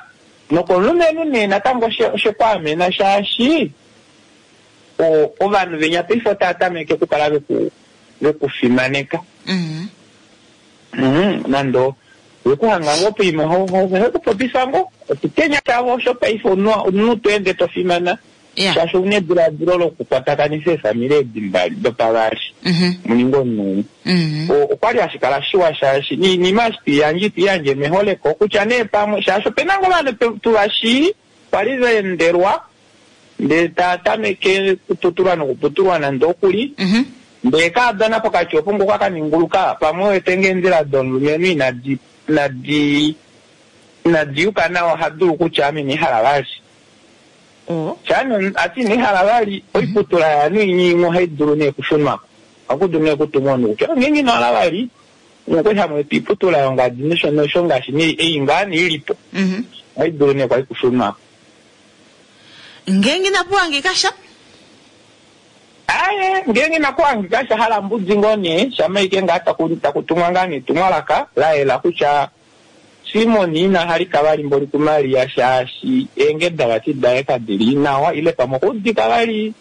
nokomulumenhu nee natango oshe oshekwaamena shaashi o- ovanhu venya paife otava tameke okukala veku vekufimaneka. Mm. Mhm, nande Vekuhanga ngoo poima hekupopifa ngoo oshitenya shavo osho paife omunhu to ende to fimana shaashi ouna ediladilo lokukwatakanifa eefamili edi mbali dopavali muninge omunhu umwe. Okwali hashi kala shiwa shaashi niinima eshi twiiyandje itwiiyandje meholeko kutya nee pamwe shaashi opena ngoo ovanhu tuvashii kwali vaendelwa ndee tava tameke kuputulwa nokuputulwa nande okuli ndee kaadona pokati opo ngoo kakaninguluka pamwe wete ngee eendjila domulumenhu inadi inadi inadi yuka nawa oha dulu kutya ame inehala vali. Shaano ati inehala vali oiputula yaanhu imwe ohai dulu nee okushunwako. Ohaku dulu nee okutumwa omunhu kutya ngeenge ino hala vali okwali hamu eta oiputula yongadi nosho nosho ngaashi nee ei ngaa nee ilipo ohai dulu nee kwali kushunwako. Ngeenge inapu hangika sha? Aaye, ngeenge inaku hangika sha hala mbudi ngoo nee shama ashike ngaa taku takutumwa ngaa nee etumwalaka la yela kutya Simon ina halika vali mboli kuMaria shaashi eengeda vati daye kadili nawa ile pamwe okwaudika vali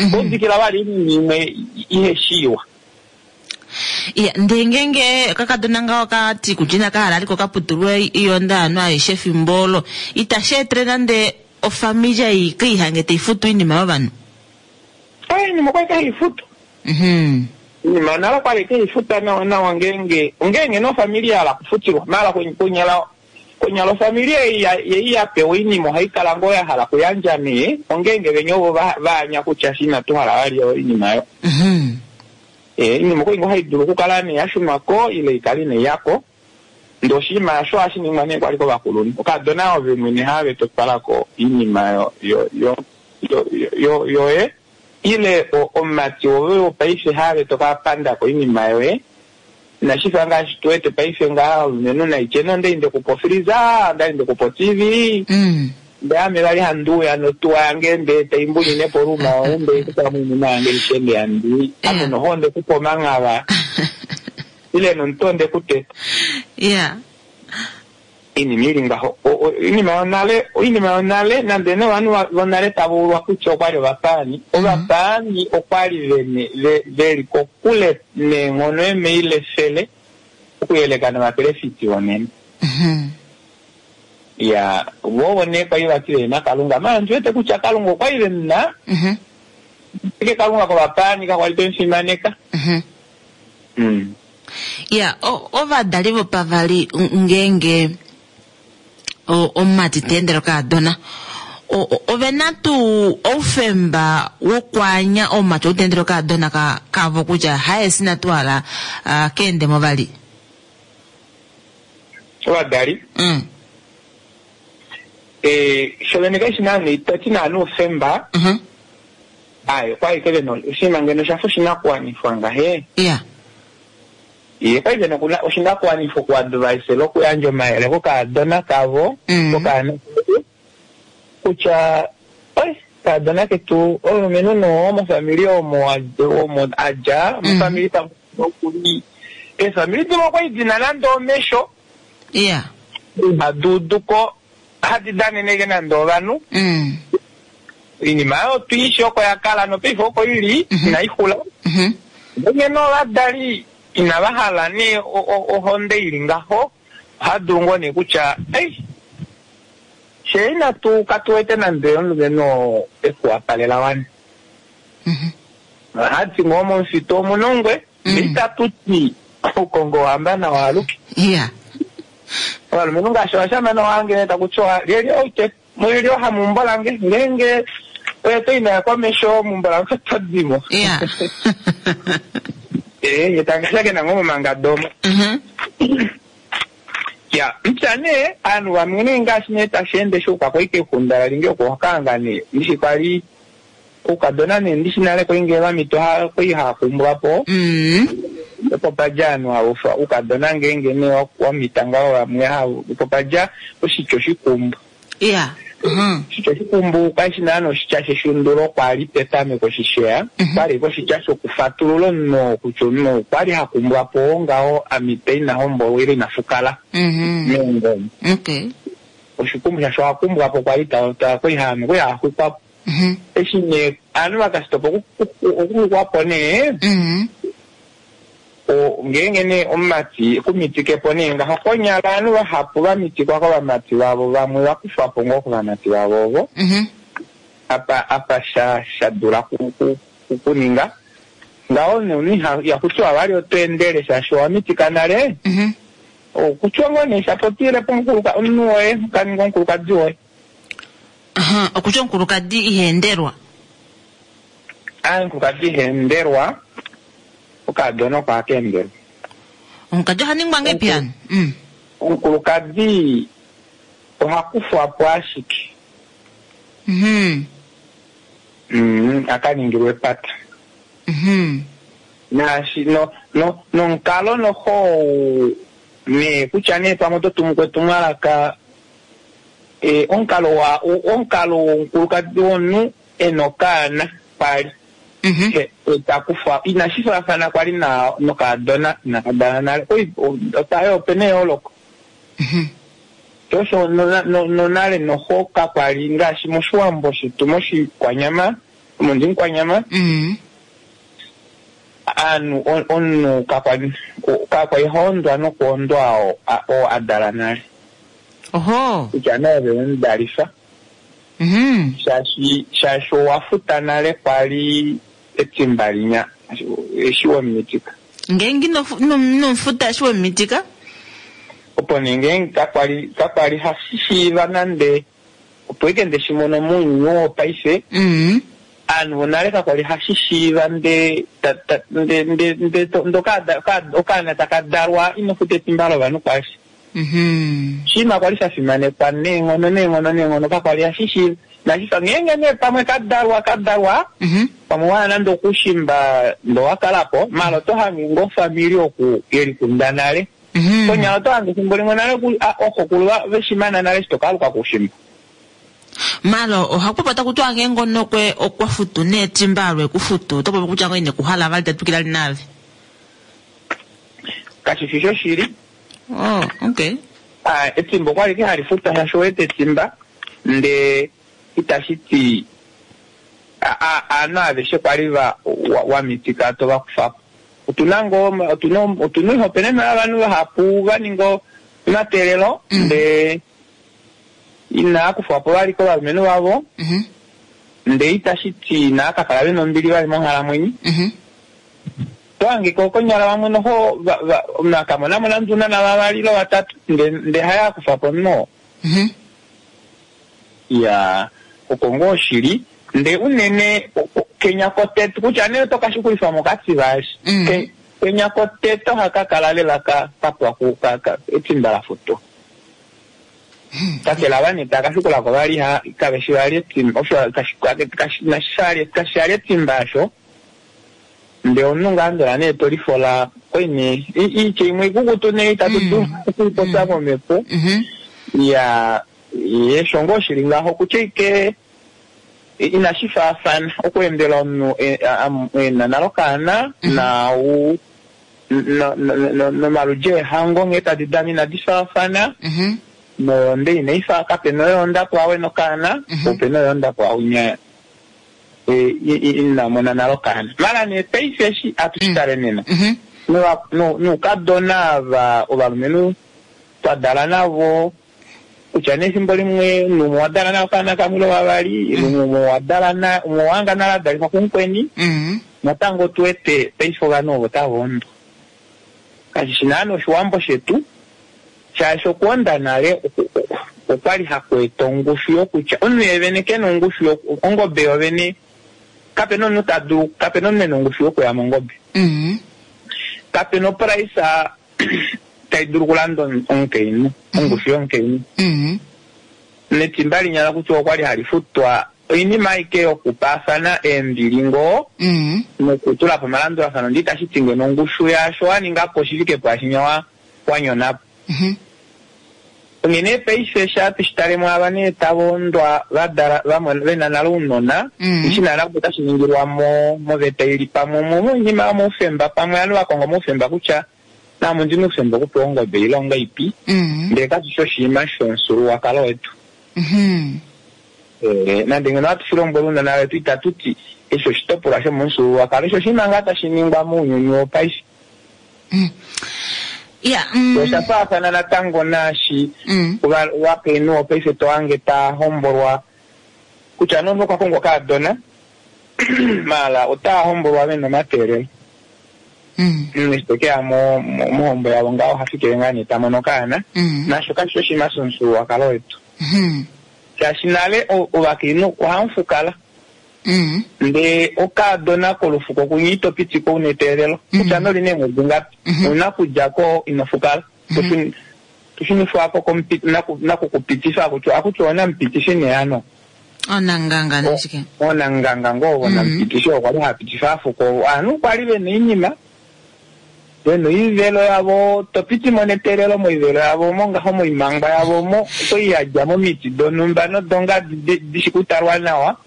okwaudikila vali oinima imwe iheshi iwa. Iya, ndee ngeenge okakadona ngaho ka ti kutya inaka hala aliko ka putulwe oiyonda yovanhu aishe efimbo olo, itashi etele nande ofamili ei keihange taifutu oinima yovanhu? Oinima okwali kaifutu. Oinima nale okwali kaifuta nawa nawa ngeenge ongeenge nee ofamili ya hala okufutilwa maala konyala konyala ofamili ei ei ya pewa oinima ohai kala ngoo ya hala okuyandja nee ongeenge venya ovo vaanya kutya shi inatu hala vali oinima yo. Oinima okwali ngoo hai dulu okukala nee ya shunwa ko ile ikale inai yako. Ndee oshinima osho ohashi ningwa nee kwali kovakulunhu. Okadona ove mwene have totwalako oinima yo yo yo yo yoye ile omumati woye wopaife have toka pandako oinima yoye. Inashi fa ngaashi tu wete paife ngaha omulumenhu naitye nee ondali ndekupa ofreezer, ondali ndekupa o T V, ndee ame vali handi uya notuwa yange ndee taimbunine po room yoye ndee kutamo oinima yange aishe ndee handi ame noho ondekupa omanghava ile nomutwe ondekuteta. Yeah. Oinima ili ngaho oinima yonale oinima yonale nande nee ovanhu vonale tava ulwa kutya okwali ovapaani ovapaani okwali vene veli kokule neenghono eemaila efele okuyeleka novaprofeti vonena. Ya vo ovo nee kwali vati vehena Kalunga maala ondi wete kutya Kalunga okwali vemuna ashike Kalunga kovapaani kakwali vemufimaneka. Ya ovadali vopavali ngeenge omumati ta endele okaadona ovena tuu oufemba wokwaanya omumati ou ta endele okaadona kavo kutya haye sina tu hala keendemo vali? Ovadali shovene kaishi naana itati naana oufemba aye okwali ike vena oshinima ngeno oshafa oshinakuwanifwa ngahe. Ya. Ye kwali vena oshinakuwanifwa okuadvisela okuyandja omayele kokaadona kavo kokaana kutya oi kaadona ketu omulumenhu noo mofamili omo omo adja mofamili pamwe okuli eefamili dimwe okwali dina nande omesho Ya. hadi uduko hadi daneneke nande ovanhu. Oinima oyo twiishi oko yakala nopaife oko ili inaixula. Ngeno ovadali inava hala nee ohonde ili ngaho ohadulu ngoo nee kutya ei she inatu katuwete nande omulumenhu oo ekuwapalela wani. Ohati ngoo momufitu omuna ongwe itatu ti oukongo wahamba nawa aluke. Ya. Ovalumenhu ngaashi ovashamane ohange nee taku tiwa lyelye oute mwelye ohamumbo lange ngeenge oye to inaya komesho mumbo lange oto dimo. Ya. Eh, ye tangashakena ngoo momangado omo. Ya, mupya nee ovanhu vamwe nee ngaashi nee tashi ende shuuka kwai kexunda lalinge oko okaanga nee ndishi kwali oukadona nee ndishi nale kwai ngee vamito kwai haakumbwa po opo padja ovanhu haufa oukadona ngeenge nee wamita ngaho vamwe opo padja oshitya oshikumbu. Ya. Oshitya oshikumbu kashi naana oshitya sheshundulo kwali petameko shisheya kwali oshitya shokufatulula omunhu kutya omunhu okwali hakumbwa po ngaho amita ina hombolwa ile ina fukala meongoma. Okay. Oshikumbu shasho ohakumbwa po kwali kwali haxwikwa po. Eshi nee ovanhu vakasitopa okuxwikwa po nee O- ngeenge nee omumati kumitike po nee ngaho konyala ovanhu vahapu va mitikwa kovamati vavo vamwe va kufwa po ngoo kovamati vavo ovo Mhm. apa apa sha sha dula ku- ku- ku- kuninga ngaho nomunhu iha- ihaku tiwa vali oto endele shaashi owa mitika nale Mhm. okutya ngoo nee shapotile po omukuluka- omunhu woye kaninga omukulukadi woye Aha, okutya omukulukadi iha endelwa. Ah, omukulukadi iha endelwa okaadona oko haka endelwa Omukadi oha ningwa ngeipi hano? Mm. omukulukadi oha kufwa po ashike Mhm. mm, aka ningilwa epata Mhm. naashi no no nomukalo noho nee kutya nee pamwe oto tumu kwetumwalaka e, omukalo wa omukalo womukulukadi womunhu ena okaana kwali Mhm. e, e, takufa inashi faafana kwali na nokaadona inakadala nale Oi, o- otayo opena eyooloko Mhm. tosho nona- no- nonale noho kakwali ngaashi moshiwambo shetu moshikwanyama omondimukwanyama Mhm. aanhu on- omunhu kakwali kakwali haondwa nokuondwa oo a- oo a dala nale Oho. kutya naave wemudalifa Mhm. shaashi shaashi owa futa nale kwali etimba linya eshi wemumitika Ngeenge ino fu- ino ino futa eshi wemitika? opo nee ngeenge kakwali kakwali hashi shiiva nande opo ike ndeshi mono mounyuni wopaife Mhm. aanhu vonale kakwali hashi shiiva nde ta- ta- nde nde nde to- ndo kaada- kaada- okaana taka dalwa ino futa etimba lovanhu kwashi Mhm. oshinima kwali sha fimanekwa neenghono neenghono neenghono kakwali hashi shiiva nashifa ngeenge nee pamwe ka dalwa ka dalwa Mhm. pamwe wana nande okushimba ndo wa kala po mala oto hange ngoo ofamili oku yelikunda nale Mhm. konyala oto hange efimbo limwe nale ku- a- oxokulu va- veshimana nale eshi tokaluka kushimba Malo ohaku taku tiwa ngeenge onokwe okwa futu neetimba alwe kufutu oto popi kutya ngoo ine kuhala vali tatwikila li nave. kashi fi shoshili Oh, okay. Ah, etimba okwali ke hali futwa shaashi owete etimba nde itashi ti a- a- aanhu aveshe kwali va wa- wa mitika to va kufa po otuna ngoo otuna otuna oihopenenwa yovanhu vahapu va ninga omateelelo Mm. nde inaa kufwa po vali kovalumenhu vavo Mhm. nde itashi ti inaa ka kala vena ombili vali monghalamwenyo Mhm. tohangika konyala vamwe noho va- va- omunhu akamonamo nande unana vavali ile vatatu nde nde haya kufa po omunhu oo Mhm. ya oko ngoo shili nde unene o- o- kenya koteto kutya nee oto kashukulifa mokati vaashi Mm. Ke- kenya koteto haka kala lela ka kapwa ku ka, ka, etimba la futwa kakele ava nee taka shukulako vali ha kaveshi vali etimba osho kashi- kashi- kashi- kashi ali etimba asho nde omunhu ngaa ndola nee tolifola koine i- iitya imwe ikukutu nee itatu dulu Mm. okuipopya momhepo Mhm. ya yesho ngoo shili ngaho kutya ike inashi faafana okuendela omunhu e- a- a- ena nale okaana Mhm. nau no- no- no- nomaludji eehango nghee tadi dana inadi faafana Mhm. noyonde inai fa kapena oyoonda pwawe nokaana Mhm. opena oyoonda pwaunya e, i- i- ina mona nale okaana mala nee paife eshi atu shi tale nena Mhm. Nova- nu- nuukadona ava ovalumenhu twa dala navo kutya nee efimbo limwe numwe wa dala na okaana kamwe ile vavali lumwe wa dala na umwe wanga nale adalifwa kumukweni Mhm. natango tu wete paife ovanhu ovo tava ondo kashi shi naana oshiwambo shetu shaashi okuonda nale oku- oku- okwali haku eta ongushu yokutya omunhu yevene kena ongushu yoku- ongobe yovene kapena omunhu ta dulu kapena omunhu ena ongushu yokuya mongobe Mhm. kapena opraisa tai dulu okulanda omu- omukainhu ongushu yomukainhu Mhm. netimba linyala kutya okwali hali futwa oinima aike yokupaafana eembili ngoo Mhm. nokutula po omalandulafano ndi itashi ti ngeno ongushu yaasho wa ninga po shi fike pwaashinya wa wanyonapo Mhm. onghene paife sha tushi mwaava nee tava ondwa vadala vamona vena nale ounona Mm. ishi naana opo tashi ningilwa mo moveta ili pamwe mo moinima yomoufemba pamwe ovanhu va konga omoufemba kutya naame ondina oufemba okupewa ongobe ile ipi Mhm. ndele kashi shi oshinima shomufyuululwakalo wetu Mhm. Eh, nande ngeno hatu shi lombwele ounona vetu itatu ti eshi oshitopolwa shomomufyuululwakalo eshi oshinima ngaa tashi ningwa mounyuni wopaife Mm. Ya, mm. Osha faafana natango naashi Mm. ova- ovakainhu opaife to hange taa hombolwa kutya nomunhu okwa kongwa okaadona maala otaa hombolwa vena omateelelo. Mm. Eshi te keya mo- mo- mohombo yavo ngaho oha fikile ngaa nee ta mono okaana Mm. nasho kashi shi oshinima shomufyuululwakalo wetu. Mhm. Shaashi nale o- ovakainhu ohamu fukala Mm. ndee okaadona kolufuko kunye ito pitiko una eteelelo kutya noli neemwedi ngapi Mhm. ouna kudja ko ino fukala Toshuni- toshunifwako komupi- naku- nakukupitifa akutya akutya onamupitifi nee ano Onanganga nashike. onanganga ngoo vonamupitifi okwa li hapitifa afuko ovanhu kwali vena oinima vena oivelo yavo topitimo neteelelo moivelo yavo omo ngaho moimangwa yavo omo oto yadja momiti donhumba nodongadi di- dishi kutalwa nawa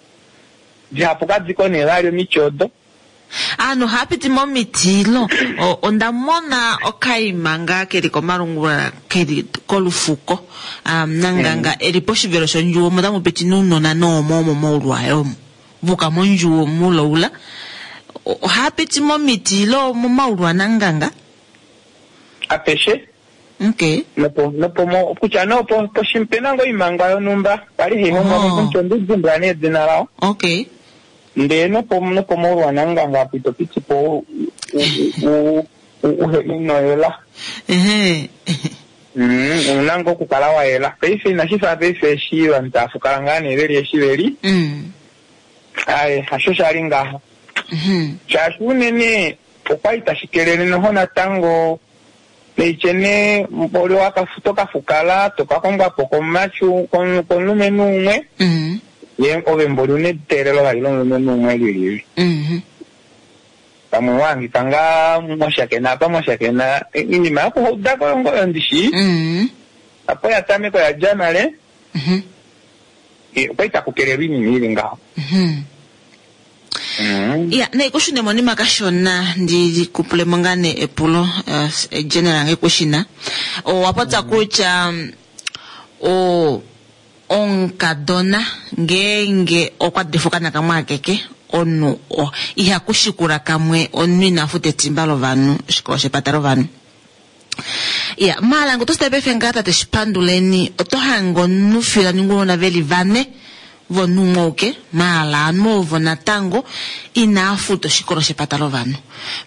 dihapu kadiko nee vali omiti odo. Aanhu ohaya piti momiti lo. O- onda mona okaima ngaa keli komalungula keli kolufuko um, nanganga eli poshivelo shondjuwo omo tamu piti nounona noomo omo moulwayo omo vuka mondjuwo muloula. O- ohaya piti momiti lo momaulu ananganga. Apeshe Okay. nopo nopo mo kutya nee opo poshi- pena ngoo oimangwa yonhumba kwali hai hongwa Oh. momuti ondidimbwa nee edina lao Okay. ndee nopo nopo moulwa nanganga apo ito piti po u- u- u- u- uhe ino yela. Ehe. Mm, ouna ngoo okukala wa yela paife inashi fa paife eshi ovanhu tava fukala ngaa nee veli eshi veli Mm. aye hasho shali ngaho Mhm. shaashi unene okwali tashi kelele noho natango neitye nee mboli wakafu- tokafukala tokakongwa po komumachu komu- komulumenhu umwe Mm. ye ove mboli una eteelelo vali lomulumenhu umwe lilili Mhm. pamwe wahangika ngaa mwashakena apa mwashakena iinima yokuhaudako yongoyo ndishi Mm. apo ya tameka oya dja nale Mhm. eh, okwali taku kelelwa iinima ili ngaho. Mhm. Mm. Ya, nee kushune monima kashona ndi kupulemo ngaa nee epulo uh, general nge kushina. Owa popya kutya mm, o omukadona ngeenge okwa difuka nakamwe akeke omunhu o- iha kushikula kamwe omunhu ina futa etimba lovanhu oshikolo shepata lovanhu. Ya, maala nge otosita paife ngaa tate Shipanduleni oto hange omunhu fiyo taningi veli vane vomunhu umwe auke maala ovanhu ovo natango inaa futa oshikolo shepata lovanhu.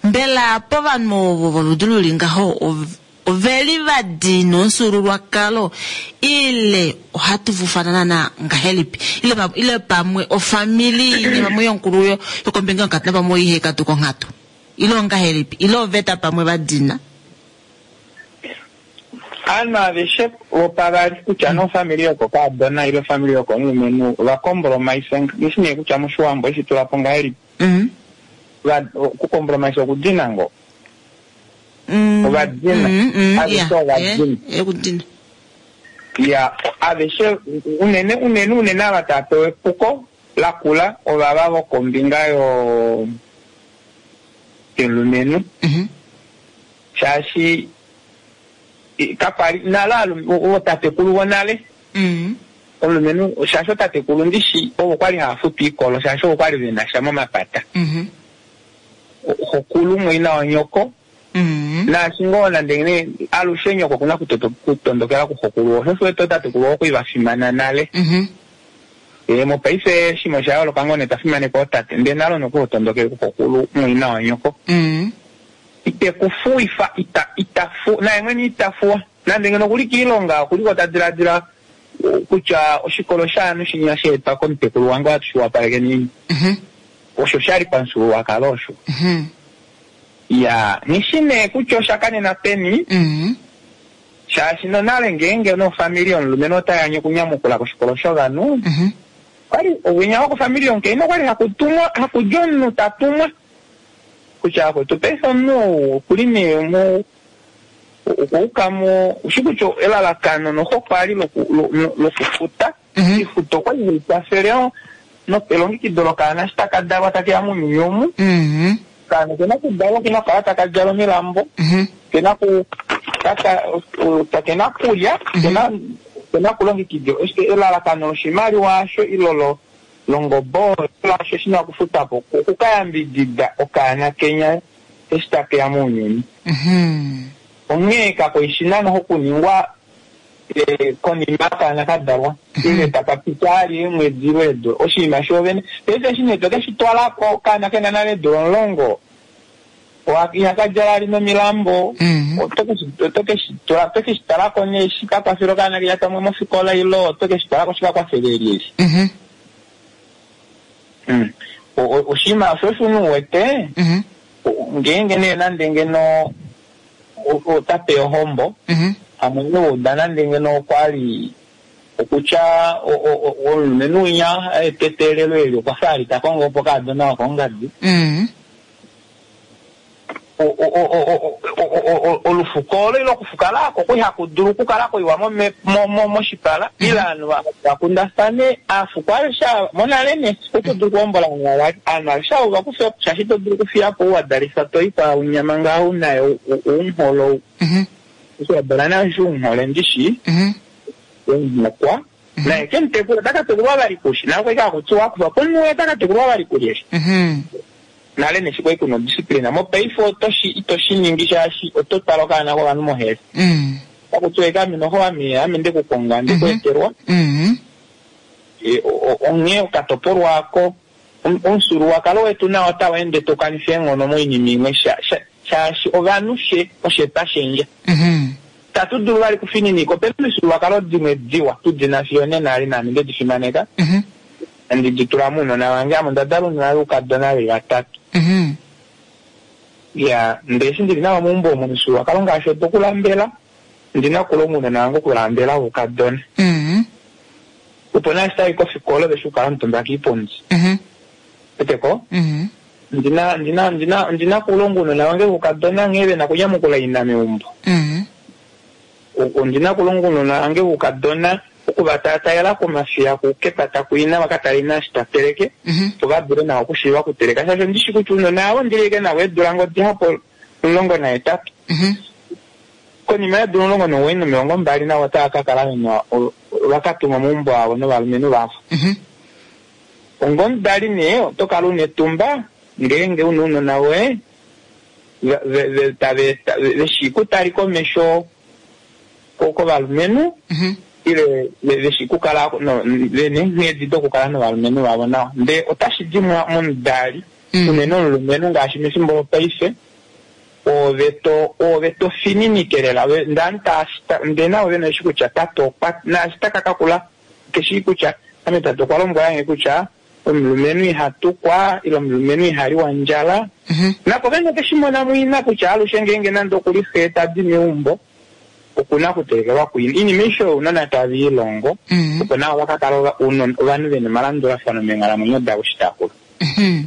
Mbela povanhu ovo voludi luli ngaho ov- oveli vadina omufyuululwakalo ile ohatu vufana naana ngahelipi ile, pa, ile pamwe ofamili ine pamwe yonkulu yo yokombinga yonkatu napamwe oihe katuka onghatu ile ongahelipi ile oveta pamwe vadina. Aanhu aveshe vopavali kutya nee ofamili yokokaadona ile ofamili yokomulumenhu ovakompromise ndishi nee kutya moshiwambo eshi tula po ngahelipi Mm. Va- okukompromise okudina ngoo Mm. Ovadina. Mm, mm, Aveshe yeah, ovadina. eh, eh, okudina. ya aveshe unene unene unene ava tava pewa epuko lakula ovava vokombinga yo yomulumenhu Mhm. shaashi i- kakwali nale alu- ootatekulu vonale Mm. omulumenhu shaashi otatekulu ndishi ovo kwali hava futu iikolo shaashi ovo kwali vena sha momapata Mhm. xokulu mwaina wanyoko Mm. naashi ngoo nande nee alushe nyoko okuna kutoto- kutondokela kuxokulu osho osho otatekulu okwali vafimana nale. Mhm. Ee, mopaife shimwe osha yooloka ngoo nee tafimanekwa otate ndee nalo noku tondokele kuxokulu mwaina wanyoko Mm. itekufuifa ita itafu naye mwene itafuwa nande ngeno okuli kiilonga okuliko ta diladila uh, kutya oshikolo shaanhu shinya sheetwa komutekulu wange ohatu shi wapaleke nini Mhm. osho shali pamufyuululwakalo osho Mhm. ya nishi nee kutya osha kanena peni Mm. shaashi nonale ngeenge nofamili yomulumenhu otayanye okunyamukula koshikolo shovanhu Mhm. kwali owinya wokofamili yomukainhu okwali hakutumwa hakudja omunhu tatumwa kutya akwetu paife omunhu ou okuli nee mu okwauka mo ushi kutya elalakano noho kwali loku- lo- lo- lokufuta Mhm. ifuto okwali hai kwafele elongekido lokaana eshi taka dalwa takeya mounyuni omu Mhm. okaana kena kudalwa kena kukala taka djala omilambo Mhm. kena ku taka kena kulya kena kena kulongekidwa elalakano loshimaliwa asho ilo longobo lasho shina okufuta po okukayambidida okaana kenya eshi takeya mounyuni. Mhm. Onghee kakoishi nano okuningwa eh, konima okaana ka dalwa ile tapa pita ali eemwedi ile eedula oshinima shoovene. Paife eshi nee toke shi twalako okaana kena nale eedula omulongo, oha- ihaka djala ali nomilambo, Mhm. oto keshi- oto keshi tula- oto keshi talako nee shi ka kwafele okaana keya pamwe mofikola ile oto keshi talako shi ka kwafele lyelye. Mhm. Mm. O- o- oshinima osho osho u wete Mhm. o- ngeenge nee nande ngeno o- ota pe ohombo Mhm. hamwe uda nande ngeno okwali okutya o- o- o- omulumenhu winya etetelelo eli okwa fa ali ta kongo opo kaadona wokongadi Mhm. O- o- o- o- o- o- o- o- olufuko olo ile okufukala oko ihaku dulu okukala koiwa mome- mo- mo- moshipala ile ovanhu va- vakundafane aafuko aveshe ava monale nee oto dulu okuhombola ovanhu vavali ovanhu aveshe avo vakufe shaashi ito dulu okufiya po ouwadalifa toipa unyama ngaho unaye oungholo Mhm. eshi wadala nayo eshi unghole ndishi Mhm. omunhokwa naye kemutekula otaka tekulwa vali kushi naye okwai kakutiwa kufa pomunhu otaka tekulwa vali kulyeshe Mhm. nale neshi kwai kuna odisciplina mopaife otoshi itoshi ningi shaashi oto twala okaana kovanhu mohele Mhm. takutiwa eke ame noho ame ame ndekukonga ndekuetelwa Mhm. E, o- o- onghee okatopolwa ako om- omufyuululwakalo wetu nao otau ende tokanifa eenghono moinima imwe sha- sha- shaashi ovanhu she oshe twashendja Mhm. tatu dulu vali kufininika opena omifyuululwakalo dimwe diwa tudina fiyo nena ali naame ndedi fimaneka Mhm. andi di tula mounona vange ame onda dala ounona voukadona veli vatatu Mhm. ya ndee eshi ndili navo meumbo omo omufyuululwakalo ngaashi otokulambela ndina okulonga ounona vange okulambela voukadona Mhm. opo naashi tayi kofikola veshi okukala omutumba kiipundi Mhm. weteko Mhm. ndina ndina ndina ndina kulonga ounona vange voukadona nghee vena kunyamukula ina meumbo Mhm. O- ondina kulonga ounona vange voukadona okuvatataela komafiya kukepata kuina vakatala ina eshi ta teleke Mhm. opo va dule nawa okushiiva okuteleka shaashi ondishi kutya ounona avo ndilike navo eedula ngoo dihapu omulongo nahetatu Mhm. konima yeedula omulongo nomuwoi nomilongo mbali navo otava ka kala vena o- vakatumwa momaumbo avo novalumenhu vavo Mhm. ongomudali nee oto kala una etumba ngeenge una ounona voye ve- ve- ve- tave ta- veshi kutali komesho ko- kovalumenhu Mhm. ile ve- veshi kukala no- vena eenghedi dokukala novalumenhu vavo nawa ndee otashi di mwa- momudali Mm. unene omulumenhu ngaashi mefimbo lopaife ove to ove to fininike lela Ve- ndee ta- ndee navo vena eshi kutya tate okwa naashi taka kakula keshi kutya ame tate okwa lombwelange kutya omulumenhu iha tukwa ile omulumenhu iha liwa ndjala Mhm. napo vene keshi mona mwina kutya alushe ngeenge nande okuli xe tadi meumbo okuna okutelekelwa kuina iinima aishe oyo ounona tave ilongo Mhm. opo navo vakakala ova- ounona- ovanhu vena omalandulafano meenghalamwenyo davo eshi takula Mhm.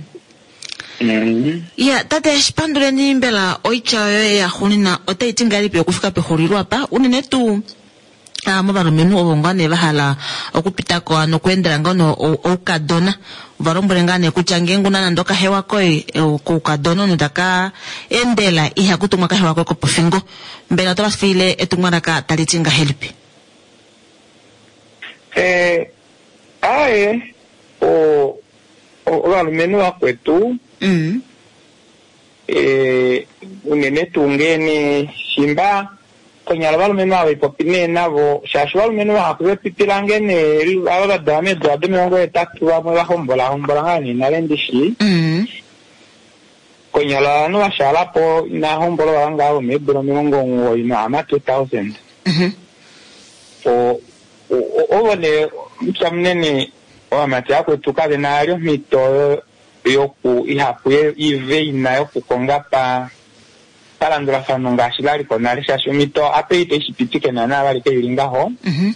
Mhm. Ya, tate shipanduleni mbela oitya yoye yaxuuninwa otai ti ngahelipi okufika pexulilo apa unene tuu ah, movalumenhu ovo ngaa nee vahala okupitako ano okweendela ngoo no ou- oukadona ova lombwele ngaa nee kutya ngeenge una nande okahewa koye eh, koukadona omunhu taka endela ihaku tumwa kahewa koye kopofingo mbela otava fiile etumwalaka tali ti ngahelipi Eh, aye o- o- ovalumenhu vakwetu mm. eh, unene tuu ngeene shimba konyala ovalumenhu ava ipopi nee navo shaashi ovalumenhu vahapu vepipi lange nee ava vadala meedula domilongo hetatu vamwe vahombola hombola ngaa nee nale ndishi Mm. konyala ovanhu vashaalapo inahombola vava ngaa vomeedula omilongo omuwoi nohama two thousand Mhm. o- o- o- ovo nee mupya munene ovamati vakwetu kave na vali omhito yo- yoku ihapu ye- ive ina yokukonga pa palandulafano ngaashi laliko nale shaashi omhito ape ite shipitike naana vali keili ngaho Mhm.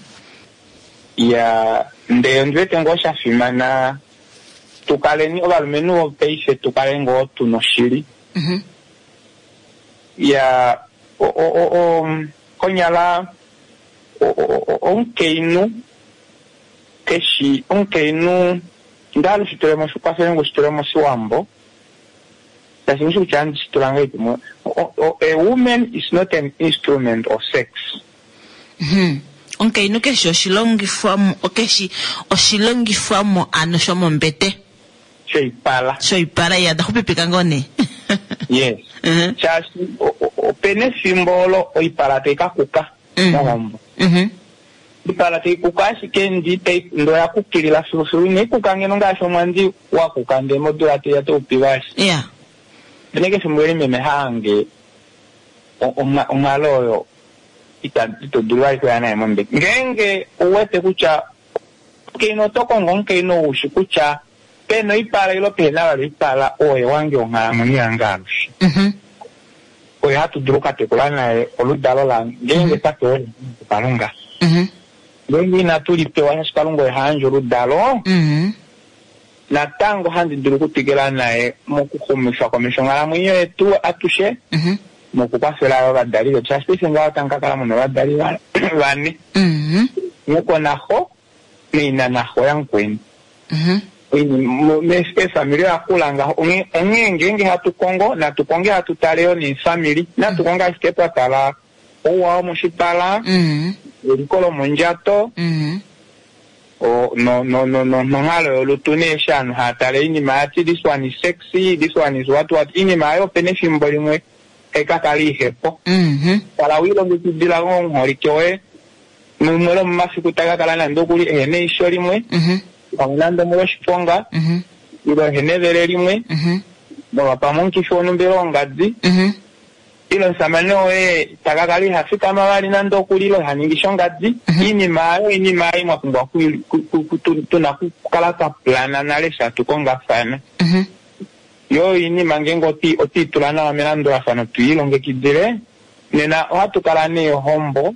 ya ndee ondiwete ngoo shafimana tukaleni ovalumenhu vopaife tukale ngoo tuna oshili Mhm. ya o- o- o- o- konyala o- o- o- omukainhu keshi omukainhu ndahala ushitule shikwafele ngu shitule moshiwambo shaashi ndishi kutya andi shitula ngahelipi mo- o- o- a woman is not an instrument of sex Mhm. Omukainhu keshi oshilongifwamo keshi oshilongifwamo ano shomombete shoipala shoipala iya daxupipika ngoo nee Yes. Mhm. Shaashi o- o- opena efimbo olo oipala tai ka kuka Mm. mohombo. Mhm. Oipala tai kuka ashike ndi tai ndo ya kukilila filufilu inai kuka ngeno ngaashi omwandi wa kuka ndee modula teiya toupivaashi. Yeah. Opena eke efimbo eli meme haange o- onga- onghalo oyo ita ito dulu vali kuya naye mombete. Ngeenge ouwete kutya omukainhu oto kongo omukainhu ou shi kutya pena oipala ilo pehena vali oipala oye wange onghalamwenyo yange alushe. Mhm. Oye hatu dulu okukatekula naye oludalo lange ngeenge twa pewa kuKalunga. Mhm. Ngeenge inatu li pewa shaashi Kalunga oye ha yandje oludalo, Mhm. natango handi dulu okutwikila naye mokuxumifa komesho onghalamwenyo yetu atushe Mhm. nokukwafela yo ovadali vetu shaashi paife ngaho otamu ka kala muna ovadali va- vane Mhm. nyoko naxo naina naxo yamukweni. Mhm. Eefamili oya kula ngaho onghee onghee ngeenge hatu kongo natu konge hatu tale yo neefamili natu konge ashike twa tala ouwa womoshipala Mhm. eliko lomondjato Mhm. o- no- no- no- no- nonghalo yolutu neeshi aanhu haya tale iinima yati this one is sexy this one is what what iinima ayo opena efimbo limwe hayi ka kala ihepo Mhm. kala wiilongekidila ngoo omuholike woye mumwe lomomafiku taka kala nande okuli ehena eisho limwe Mhm. pamwe nande omolwoshiponga Mhm. ile ehena evele limwe Mhm. molwa pamwe omukifi wonhumba ile ongadi Mhm. ile omusamane woye taka kala iha fikama vali nande okuli ile iha ningi shongadi Mhm. iinima ayo iinima ayo mwa pumbwa ku- ku- ku- ku- tu- tuna okukala twa plana nale shatu kongafana Mhm. yo iinima ngeenge oti- otiitula nawa melandulafano twiilongekidile nena ohatu kala neehombo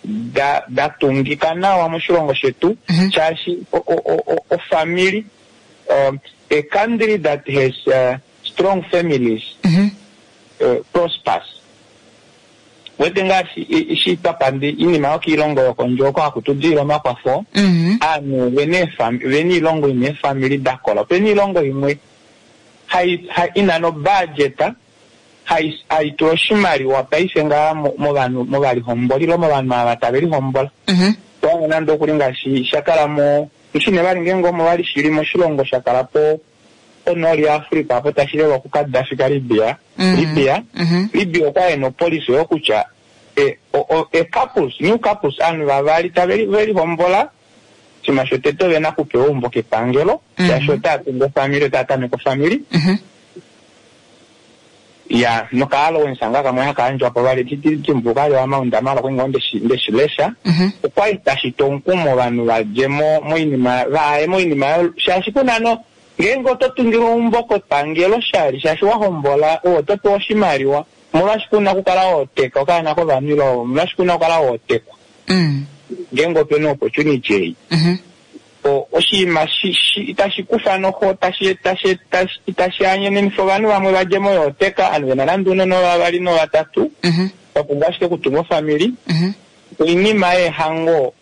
da da tungika nawa moshilongo shetu Mhm. shaashi o- o- o- o- ofamili um, a country that has uh, strong families Mhm. uh, prospers wete ngaashi i- ishi twapandi iinima yokiilongo yokondje oko haku tudilile omakwafo Mhm. aanhu vena eefami- vena iilongo ina eefamili da kola opena iilongo imwe hai- hai- ina nobudget hai- haitula oshimaliwa paife ngaa mo- movanhu movalihomboli ile movanhu ava tave lihombola Mhm. towange nande okuli ngaashi sha kala mo shine vali ngeenge omo vali shili moshilongo sha kala po ponooli yaAfrica apo tashi lelwa kuKadafi kaLibya Mhm. Libya Mhm. Libya okwa ena opolisi oyo kutya e, o, o, e couples new couples aanhu vavali tave li- ve lihombola oshinima shotete ovena okupewa eumbo kepangelo Mhm. shaashi otaya tungu ofamili otaya tameke ofamili Mhm. ya noka-allowance nga kamwe haka yandjwa po vali dimbuluka ali amaunda malo kwinga ndeshi ndeshilesha Mhm. okwali tashi tu omukumo ovanhu vadje mo moinima vaye moinima yo- shaashi kuna no ngeenge oto tungilwa eumbo kepangelo shali shaashi wa hombola owe oto pewa oshimaliwa molwaashi kuna okukala wooteka okaana kovanhu ile molwaashi kuna okukala wootekwa Mm. ngeenge opena opportunity ei Mhm. O- oshinima shi- shi- itashi kufa noho tashi tashi tashi itashi anyenenifa ovanhu vamwe vadje mo yooteka ovanhu vena nande uunona vavali novatatu Mhm. vapumbwa ashike okutunga ofamili Mhm. oinima yeehango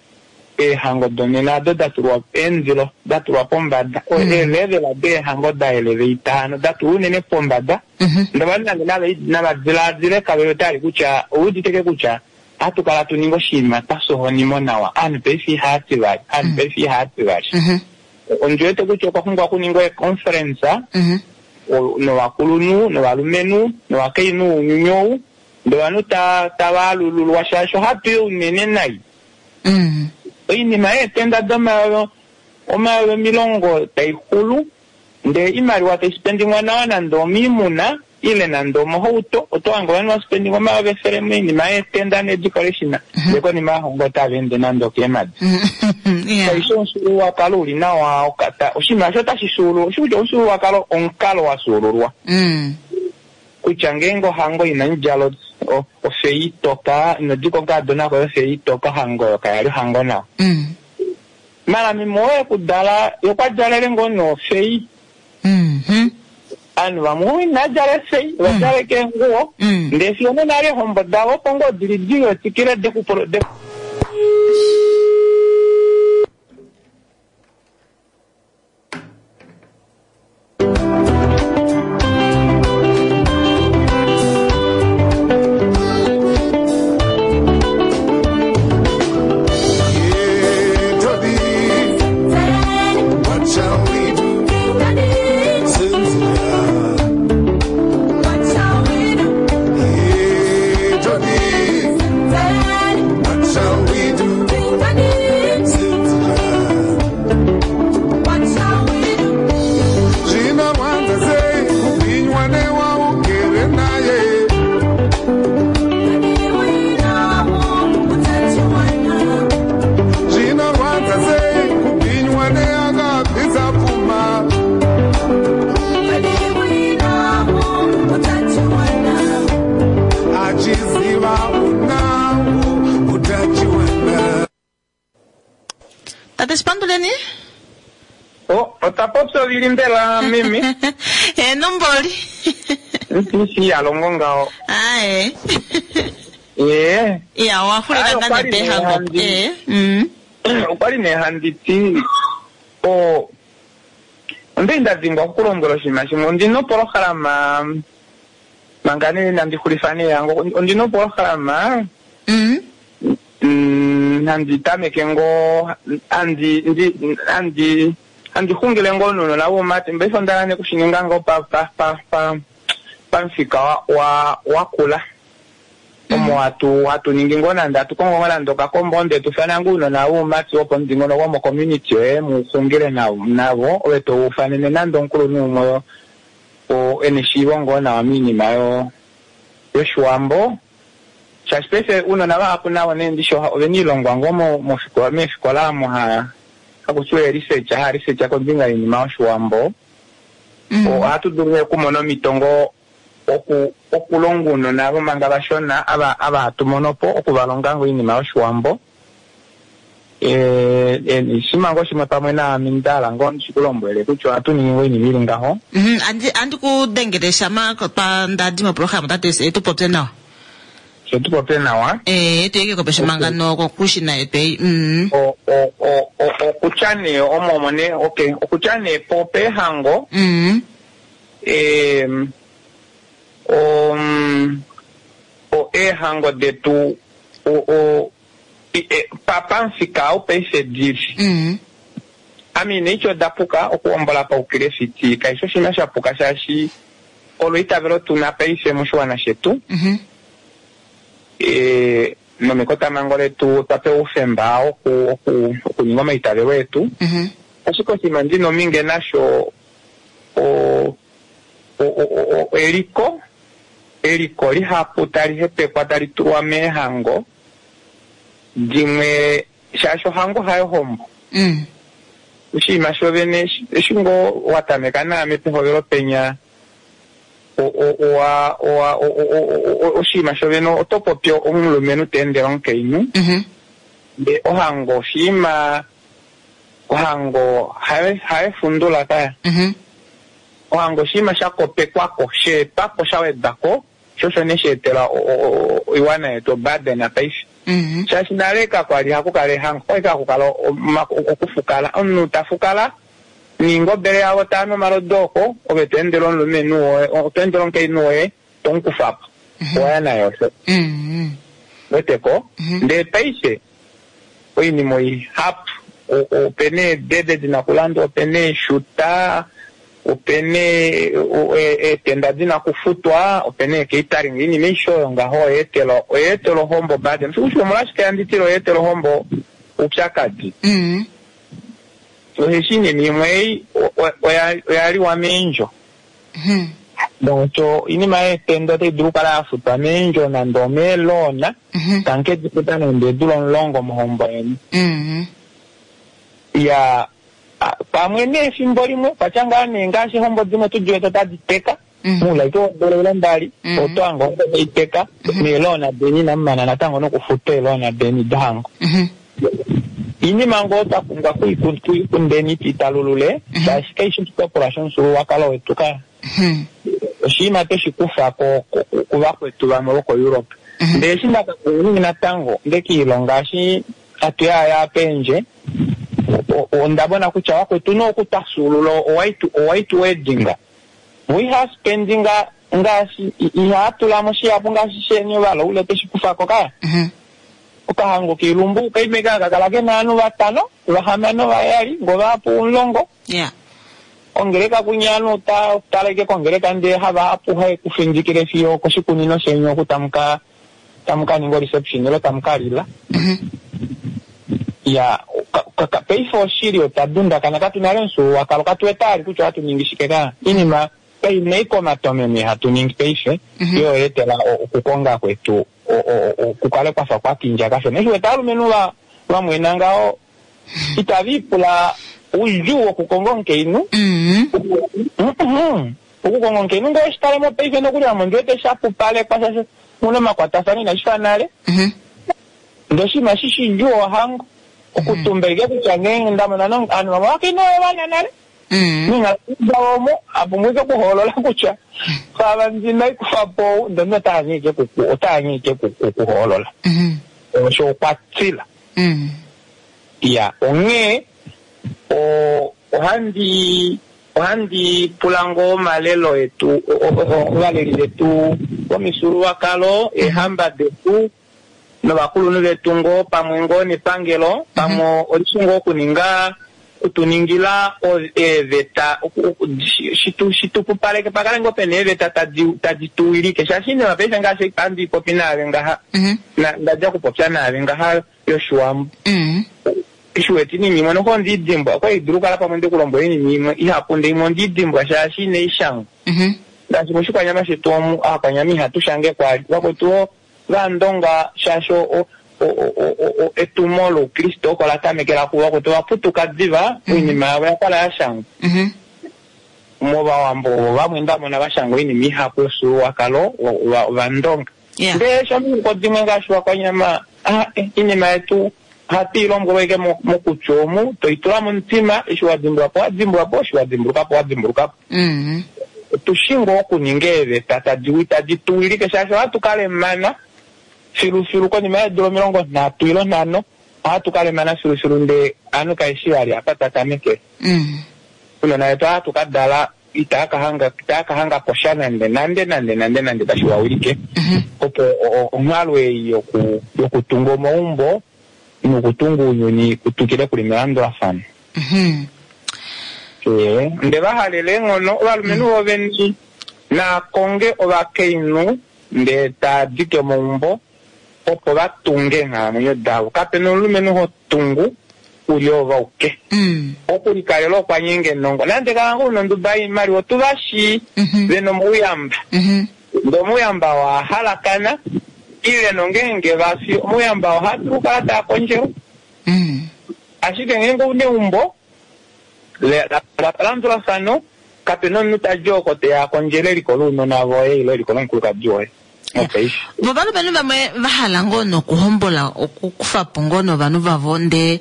eehango donena ado da tulwa eendilo da tulwa pombada Mm. eelevela deehango da elevate hano da tulwa unene pombada Mhm. ndovanhu nande nava- navadilaadile kavele otali kutya ouuditeke kutya ohatu kala tu ninga oshinima twasohonimo nawa aanhu paife ihaati vali aanhu paife ihaati vali Mhm. ondi wete kutya okwa pumbwa okuningwa econference Mhm. o- novakulunhu novalumenhu novakainhu ounyuni ou ndovanhu ta- tava alululwa shaashi ohatu yi unene nai Mm. oinima yeetenda domayovi omayovi omilongo tai xulu ndee imaliwa tai spendingwa nawa nande omiimuna ile nande omohauto oto hange ovanhu vaspendinga omayovi efele moinima yeetenda nedecoration ndee konima yahongo otava ende nande okeemadi Mhm. Yeah. kaishi omufyuululwakalo uli nawa okata oshinima osho otashi xuululwa oshi kutya omufyuululwakalo omukalo wa xuululwa Mm. kutya ngeenge ohango ina djala o- ofei itoka inodika okakadona koye ofei itoka ohango oyo kayali ohango nawa Mm. mala meme oye kudala yokwa djalele ngoo nofei Mhm. aanhu vamwe ina djala efei va djala keenguwo Mm. ndee fiyo nonale eehombo davo opo ngoo dili diwetikile dekupolo de Yeah, Toddy, what shall we do? Cynthia, O, otwa popya ovili mbela meme? Heno mboli. Ntishi ya longo ngaho. Ae. Ee. Ya owa xulila Aye, nga okwali nepehango. nehandi. Eh. Mm. Okwali nee handi ti o onda nda dhimbwa okukulombwela oshinima shimwe. Ondina opolohalama manga nee nandi xulifa nee yango. Ondina opolohalama Mm. mm, handi tameke ngoo handi ndi handi handi xungile ngoo nounona voumati paife onda hala okushininga ngoo pa pa pa pa pamufika wa wa wakula omo hatu hatu ningi ngoo nande hatu kongo ngoo nande okakombo ndee tufana ngoo ounona voumati wopomudingonoko womocommunity yoye muxungile navo navo ove toufanene nande omukulunhu umwe o ena eshiivo ngoo nawa moinima yo yoshiwambo shaashi paife ounona vahapu navo nee ndishi oha- ovena ilongwa ngoo mo- mofikola meefikola omo ha hakutiwa ee-research haa research kombinga yoinima yoshiwambo Mm. ohatu dulu nee okumona omhito ngoo oku okulonga ounona vomanga vashona ava ava hatu mono po okuvalonga ngoo oinima yoshiwambo Eh, eh, shima ngoo shimwe pamwe naame ndahala ngoo ndishikulombwele kutya ohatu ningi ngoo oinima ili ngaho Mhm, andi andi ku dengele shama twa ndadi moprograma tate tu popye nawa. she tupopye nawa Eh, tuyeke kopesha mangano kokushina yetu ei. Mm. O- o- o- o- okutya nee omo omo nee okay okutya nee po peehango Mm. em, om, o eehango detu o, o, i- e, pa pamufika ou paife dili Mm. ame ina oda puka okuhombola paukilefiti kaishi oshinima sha puka shaashi olo itavelo tuna paife moshiwana shetu Mhm. e, nomekotamango letu otwa pewa oufemba oku, oku, okuninga omaitavelo etu Mhm. ashike oshinima ndina ominge nasho o, o, o, o, o, eliko eliko lihapu tali hepekwa tali tulwa meehango dimwe shaashi ohango hayo hombo Mm. oshinima shovene eshi ngoo watameka naame pehovelo penya o- o- owa owa o- o- o- o- oshinima shovene oto popi omulumenhu teendele omukainhu Mhm. ndee ohango oshinima ohango hayo hayo efundula kaya Mhm. ohango oshinima sha kopekwako sheetwako sha wedwako sho osho nee sheetela o- o- o- oiwana yetu oburden paife Mhm. shaashi nale kakwali hakukala ehango kwali kakukala oma- okufukala omunhu tafukala niingobele yavo taanu omalodu oko ove toendele omulumenhu woye toendele omukainhu woye tomukufapo oya naye osho Mhm. weteko Mhm. ndee paife oinima oihapu O- opena eedede dina okulandwa opena eeshuta opena e- o- e- eetenda dina okufutwa opena eecatering oinima aishe oyo ngaho oyeetela oyeetela ohombo burden sikushi omolwashike handitile oyeetela ohombo oupyakadi Mhm. osheshi iinima imwe ei o- o- oya- oya liwa meendjo Mhm. donc oinima yeetenda otai dulu okukala yafutwa meendjo nande omeeloona Mhm. tanke difuta nande eedula omulongo mohombo yeni Mhm. ya a- pamwe neefimbo limwe kwatya ngaa nee ngaashi ehombo dimwe tudiwete otadi teka Mhm. muulaike wodula ile mbali Mhm. oto hanga ohombo tai teka neeloona deni inamumana natango nokufuta eeloona deni dohango Mhm. iinima ngoo twa pumbwa kuiku- kuikundeni tuitalulule Mhm. shaashi kaishi oshitopolwa shomufyuululwakalo wetu ka Mhm. oshinima tweshi kufa ko- ko- ku- kuvakwetu vamwe vokoEurope Mhm. ndee eshi ndakakuningi natango ndekiilonga eshi hatu yaya pendje o- o- onda mona kutya vakwetu nookutwafyuulula owhite owhite wedding we have spending ngaashi i- ihaatulamo shihapu ngaashi sheni ovalaule tweshi kufako kaya Mhm. okahango kiilumbu kaime kakakala kena ovanhu vatano vahamano vayali ngovahapu omulongo Yeah. ongeleka kunyanu ta taleke kongeleka ndee hava apuhe kufindikile fiyo koshikunino sheni oku tamuka tamuka ninga reception ilo tamuka lila Mhm. ya ka- ka- ka- paife oshili otwa dundakana katu nale omufyuululwakalo katu wete kutya ohatu ningi shike ka inima kainai komatomeme hatu ningi paife Mhm. yo yeetela o- okukonga kwetu o- o- o- kukale kwafa kwakindja kashona eshi wete aalumenhu va vamwena ngaho itava ipula oudjuu wokukonga omukainhu Mhm. Mhm. Okukonga omukainhu ngee oshitalemo paife nokuli ame ondi wete shapupalekwa shaashi muna omakwatafano inashi fa nale Mhm. ndee oshinima shi shidjuu ohango Okutumba ike kutya ngeenge ndamona ovanhu vamwe ovakainhu ovana nale meenghalo omo apumbwa ike okuhoolola kutya fava ndina ikufa po ndono otaanye ike otaanye ike kuhoolola osho okwa tsila. Ya onghee ohandi ohandi pula ngoo omalelo etu ovaleli vetu vomifyuululwakalo eehamba detu novakulunhu vetu ngoo pamwe ngoo nepangelo pamwe olishi ngoo okuninga kutuningila eeveta shitupupaleke pakale ngoo pena eeveta tadi tuwilike shaashi inima paife ngaashi handi popi naave ngaha ndadja okupopya naave ngaha yoshiwambo shiweti inima imwe noho ondiidimbwa okwali dulu kala pamwe ndikulombwela inima imwe ihapu nde imwe ondiidimbwa shaashi inaishangwa ngaashi moshikwanyama shetu omu aakwanyama ihatu shange kwali vakwetu vandonga shaashi etumo loukriste oko la tamekela kuva kwetu vaputuka diva oinima yavo yakala yashangwa movawambo ovo vamwe ndamona vashanga oinima ihapu yofyuululwakalo ovandonga ndee shomihoko dimwe ngaashi vakwanyama inima yetu ohatu i lombwelwa ike mokutya omu toitula momutima eshi wadimbulwapo wadimbulwapo eshi wadimbulukapo wadimbulukapo otushi ngoo okuninga eeveta tadi tuwilike shaashi ohatu kalemana filufilu konima yeedula omilongo nhatu ilo nhano ohatu kalemana filufilu ndee ovanhu kaeshi vali apa twa tamekele unona vetu ohatu kadala itaa kahanga posha nande nande nande nande nande tashi wawilike opo onghalo ei yokutunga omaumbo nokutunga ounyuni kutukile kuli melandulafano. Nde vahalele eenghono ovalumenhu voveni naakonge ovakainhu ndee taadike omaumbo opo vatunge eenghalamwenyo davo. Kapena omulumenhu hotungu uli ovauke okulikalela okwa nyenga enongo nande kala ngoo una onduba yoimaliwa otuvashi vena omauyamba ndee omauyamba oo ahalakana ile nongeenge vafi omauyamba ohadulu okukala taa kondjelwa ashike ngeenge ouna eumbo lalandulafano kapena omunhu tadi oko teya akondjele eliko lounona voye ile eliko lomukulukadi woye. Vo valumenhu vamwe vahala ngoo nokuhombola okukufapo ngoo novanhu vavo ndee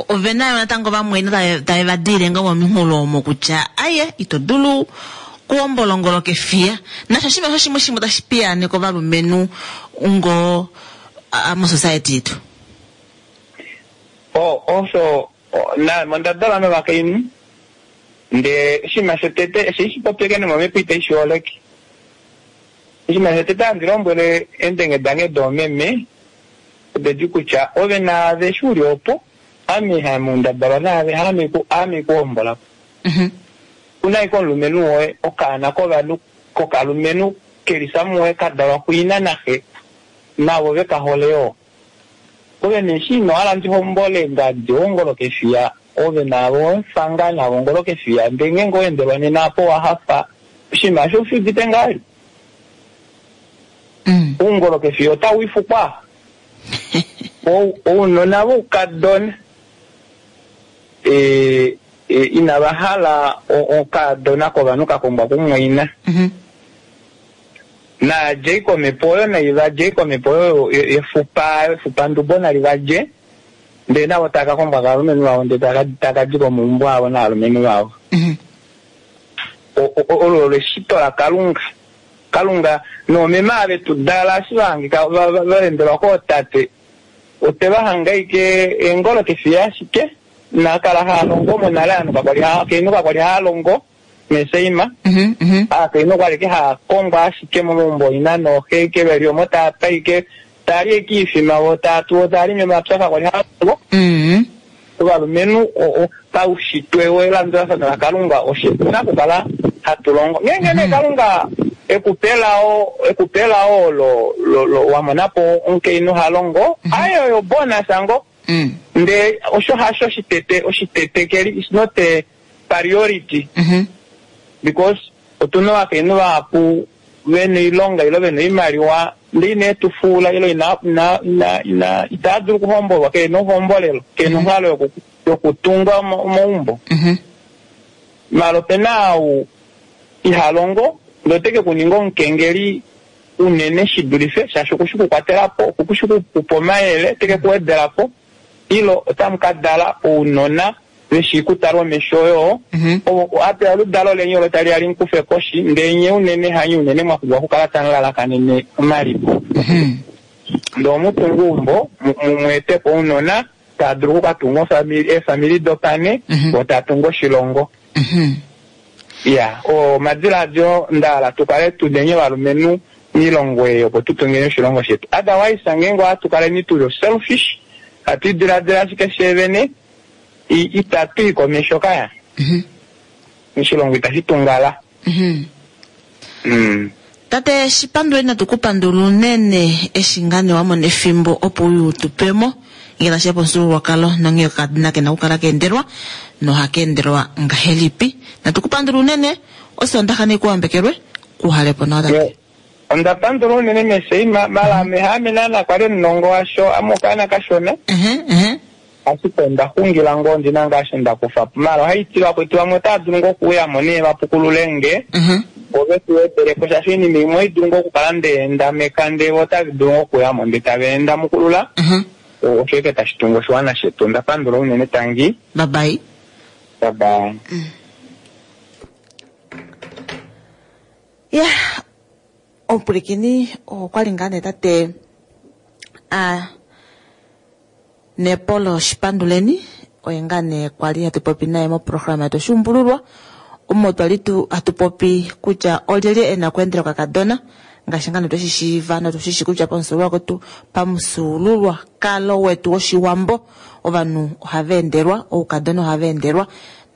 ovena yo natango vamwe tave va diile ngoo mominghulo omo kutya aye ito dulu kuhombola ongolo kefiya nasho shimwe osho shimwe shimwe tashi piyaaneka ovalumenhu ngoo mosociety yetu. Osho mondadalwa novakainhu ndee oshinima shotete eshi shipopyeke nomomhepo itaishi holeke. Oshinima shotete handi lombwele eendenge dange doomeme odedi kutya ove naave eshi uli opo ame hamundadalwa naave aame kuhombolapo una ashike omulumenhu woye okaana kovanhu kokalumenhu kelisamuwe kadalwa kuina naxe navo vekahole yoo ove nee eshi ino hala ndihombole ngadi ongolo kefiya ove naave owemufanga navo ongolo kefiya ndee ngeenge owendelwa nena apo owahafa oshinima osho ushiudite ngahelipi oungolo kefiya otawifukwa ounona voukadona inava hala okaadona kovanhu kakombwa kumwaina naadjei komhepo oyo naivadjei komhepo oyo yefupa efupandubo nali vadje ndee navo tava kakombwa kovalumenhu vavo ndee takadi komaumbo avo novalumenhu vavo. Olo olo eshito lakalunga. Kalunga noomeme ava vetu dala eshi vahangika vaendelwa kootate oteva ike eengolo kefiya ashike inakala haalongo monale ovanhu kakwali kakwali haalongo meseima aakainhu okwali ike haakongwa ashike momaumbo ina nooxe ike veli omo taapa ike taali ike oifima vo taatu taali momapya kakwali haalongo. Ovalumenhu paushitwe welandulafano lakalunga oshituna okukala hatu longo ngeenge nee kalunga ekupelao ekupelao lo wamonapo omukainhu halongo aye oyo bonus ngo ndee osho hasho oshitete oshitetekeli is not a priority because otuna ovakainhu vahapu vena oilonga ile vena oimaliwa ndee ine tufuula ile ina ina ina itaa dulu okuhombolwa kena ohombolelo kena onghalo yokutunga omaumbo maala opena ou ihalongo ndee oteke kuninga omukengeli unene shidulife shaashi okushi okukwatelapo okushi okukupa omayele teke kuwedelapo Ilo otamu ka dala ounona veshi kutalwa omesho yoo, ovo ape oludalo leni olo tali ya li mukufe koshi, ndee nye unene hanye unene mwa pumbwa okukala tamu lalakanene omaliko. Ndee omutungu umbo mumweete po ounona taa dulu okukatunga eefamili dopane, vo taa tungu oshilongo. Ya, omadilaadilo nda hala tukale tuneni ovalumenhu miilongo ei opo tu tungeni oshilongo shetu. Otherwise ngeenge ohatu kaleni tuli selfish, hatu idiladila ashike fyee vene, itatu i komesho kaya. Oshilongo itashi tungala. Tate Shipanduleni natu ku pandula unene eshi ngaa nee wa mona efimbo opo uye utupemo ngele tashiya pomufyuululwakalo nonghee okakadona kena okukala ka endelwa nohaka endelwa ngahelipi. Natu ku pandula unene, Osoondaxa nei kuwambekelwe, kuhalepo nawa tate. Onda pandula unene Meseima, mala ame haame naana kwali omunongo washo, ame okaana kashona. Ashike onda xungila ngoo ndina ngaa osho nda kufa po. Mala ohaiti vakwetu vamwe otava dulu ngoo okuuyamo nee vapukulule nge, vo vetu wedelepo shaashi oinima imwe ohai dulu ngoo okukala ndeendameka ndee vo otava dulu ngoo okuyamo ndee tava endamukulula. Osho ashike tashi tungu oshiwana shetu. Onda pandula unene, tangi. Bye bye. Bye bye. Ya, omupwilikini okwali ngaa nee tate a Nepolo Shipanduleni oye ngaa nee kwali hatu popi naye moprograma yetu Oshuumbululwa, omo twali tu hatu popi kutya olyelye e na okweendela okakadona ngaashi ngaa nee tweshi shiiva notushi shi kutya pamufyuululwakalo pamufyuululwakalo wetu wOshiwambo ovanhu ohava endelwa, oukadona ohava endelwa,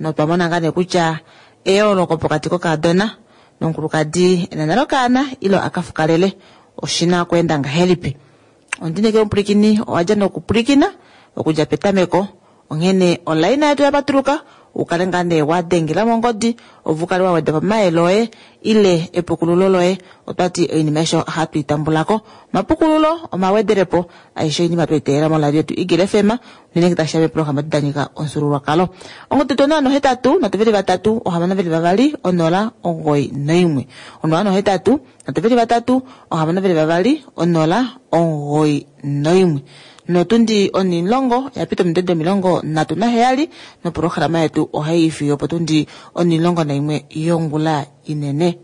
notwa mona ngaa nee kutya eyooloko pokati kokadona nomukulukadi ena nale okaana ilo a ka fukalele oshina okweenda ngahelipi. Ondinekele omupwilikini owadja nokupwilikina okudja petameko, onghene olaina yetu ya patuluka ukale ngaa nee wa dengela mongodi opo ukale wa weda pamayele oye ile epukululo loye. Otwati oinima aishe ohatu i tambulako, omapukululo, omawedelepo, aishe oinima twei teelela moradio yetu Eagle F M unene ngee tashiya meeprograma edi da nyika omufyuululwakalo. Ongodi yetu onola nohetatu nhatu veli vatatu ohamano veli vavali onola omugoyi noimwe, onola nohetatu nhatu veli vatatu ohamano veli vavali onola omugoyi noimwe. Notundi onimulongo yapita ominute omilongo nhatu naheyali noprograma yetu ohai fiyo opotundi onimulongo naimwe yongula inene.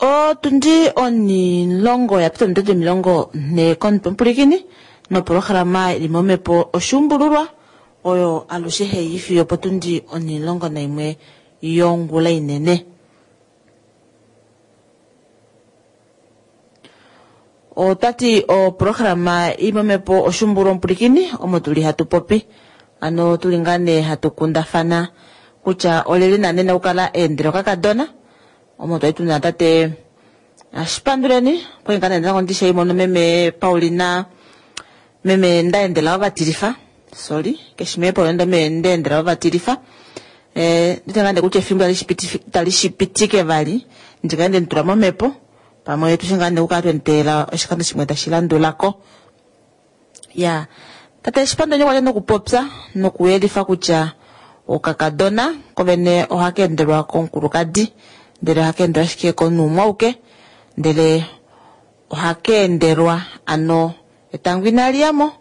Otundi onilongo ya pita ominute omilongo nhee komutwe omupulikini noprograma ili momhepo Oshuumbululwa oyo alushe hei fiyo potundi onilongo naimwe yongula inene. Otwati oprograma imomepo oshumbulu omupulikini omo tuli hatu popi ano tuli ngaa nee hatu kundafana kutya olyelye naana ena okukala eendela okakadona omo twali tuna tate Shipanduleni okwali ngaa nee natango ndishaimono meme Paulina meme Ndaendela ovatilifa sorry keshi meme Paulina meme Ndaendela ovatilifa eh ndite ngaa nee kutya efimbo tali shipitike vali ndikale ndemutula momhepo pamwe tushe ngaa nee okukala twenteela oshikando shimwe tashi landulako. Ya tate Shipanduleni okwa li nokupopya nokuyelifa kutya okakadona kovene ohaka endelwa komukulukadi ndele ohaka endelwa ashike komunhu umwe auke ndele ohaka endelwa ano etango inali yamo.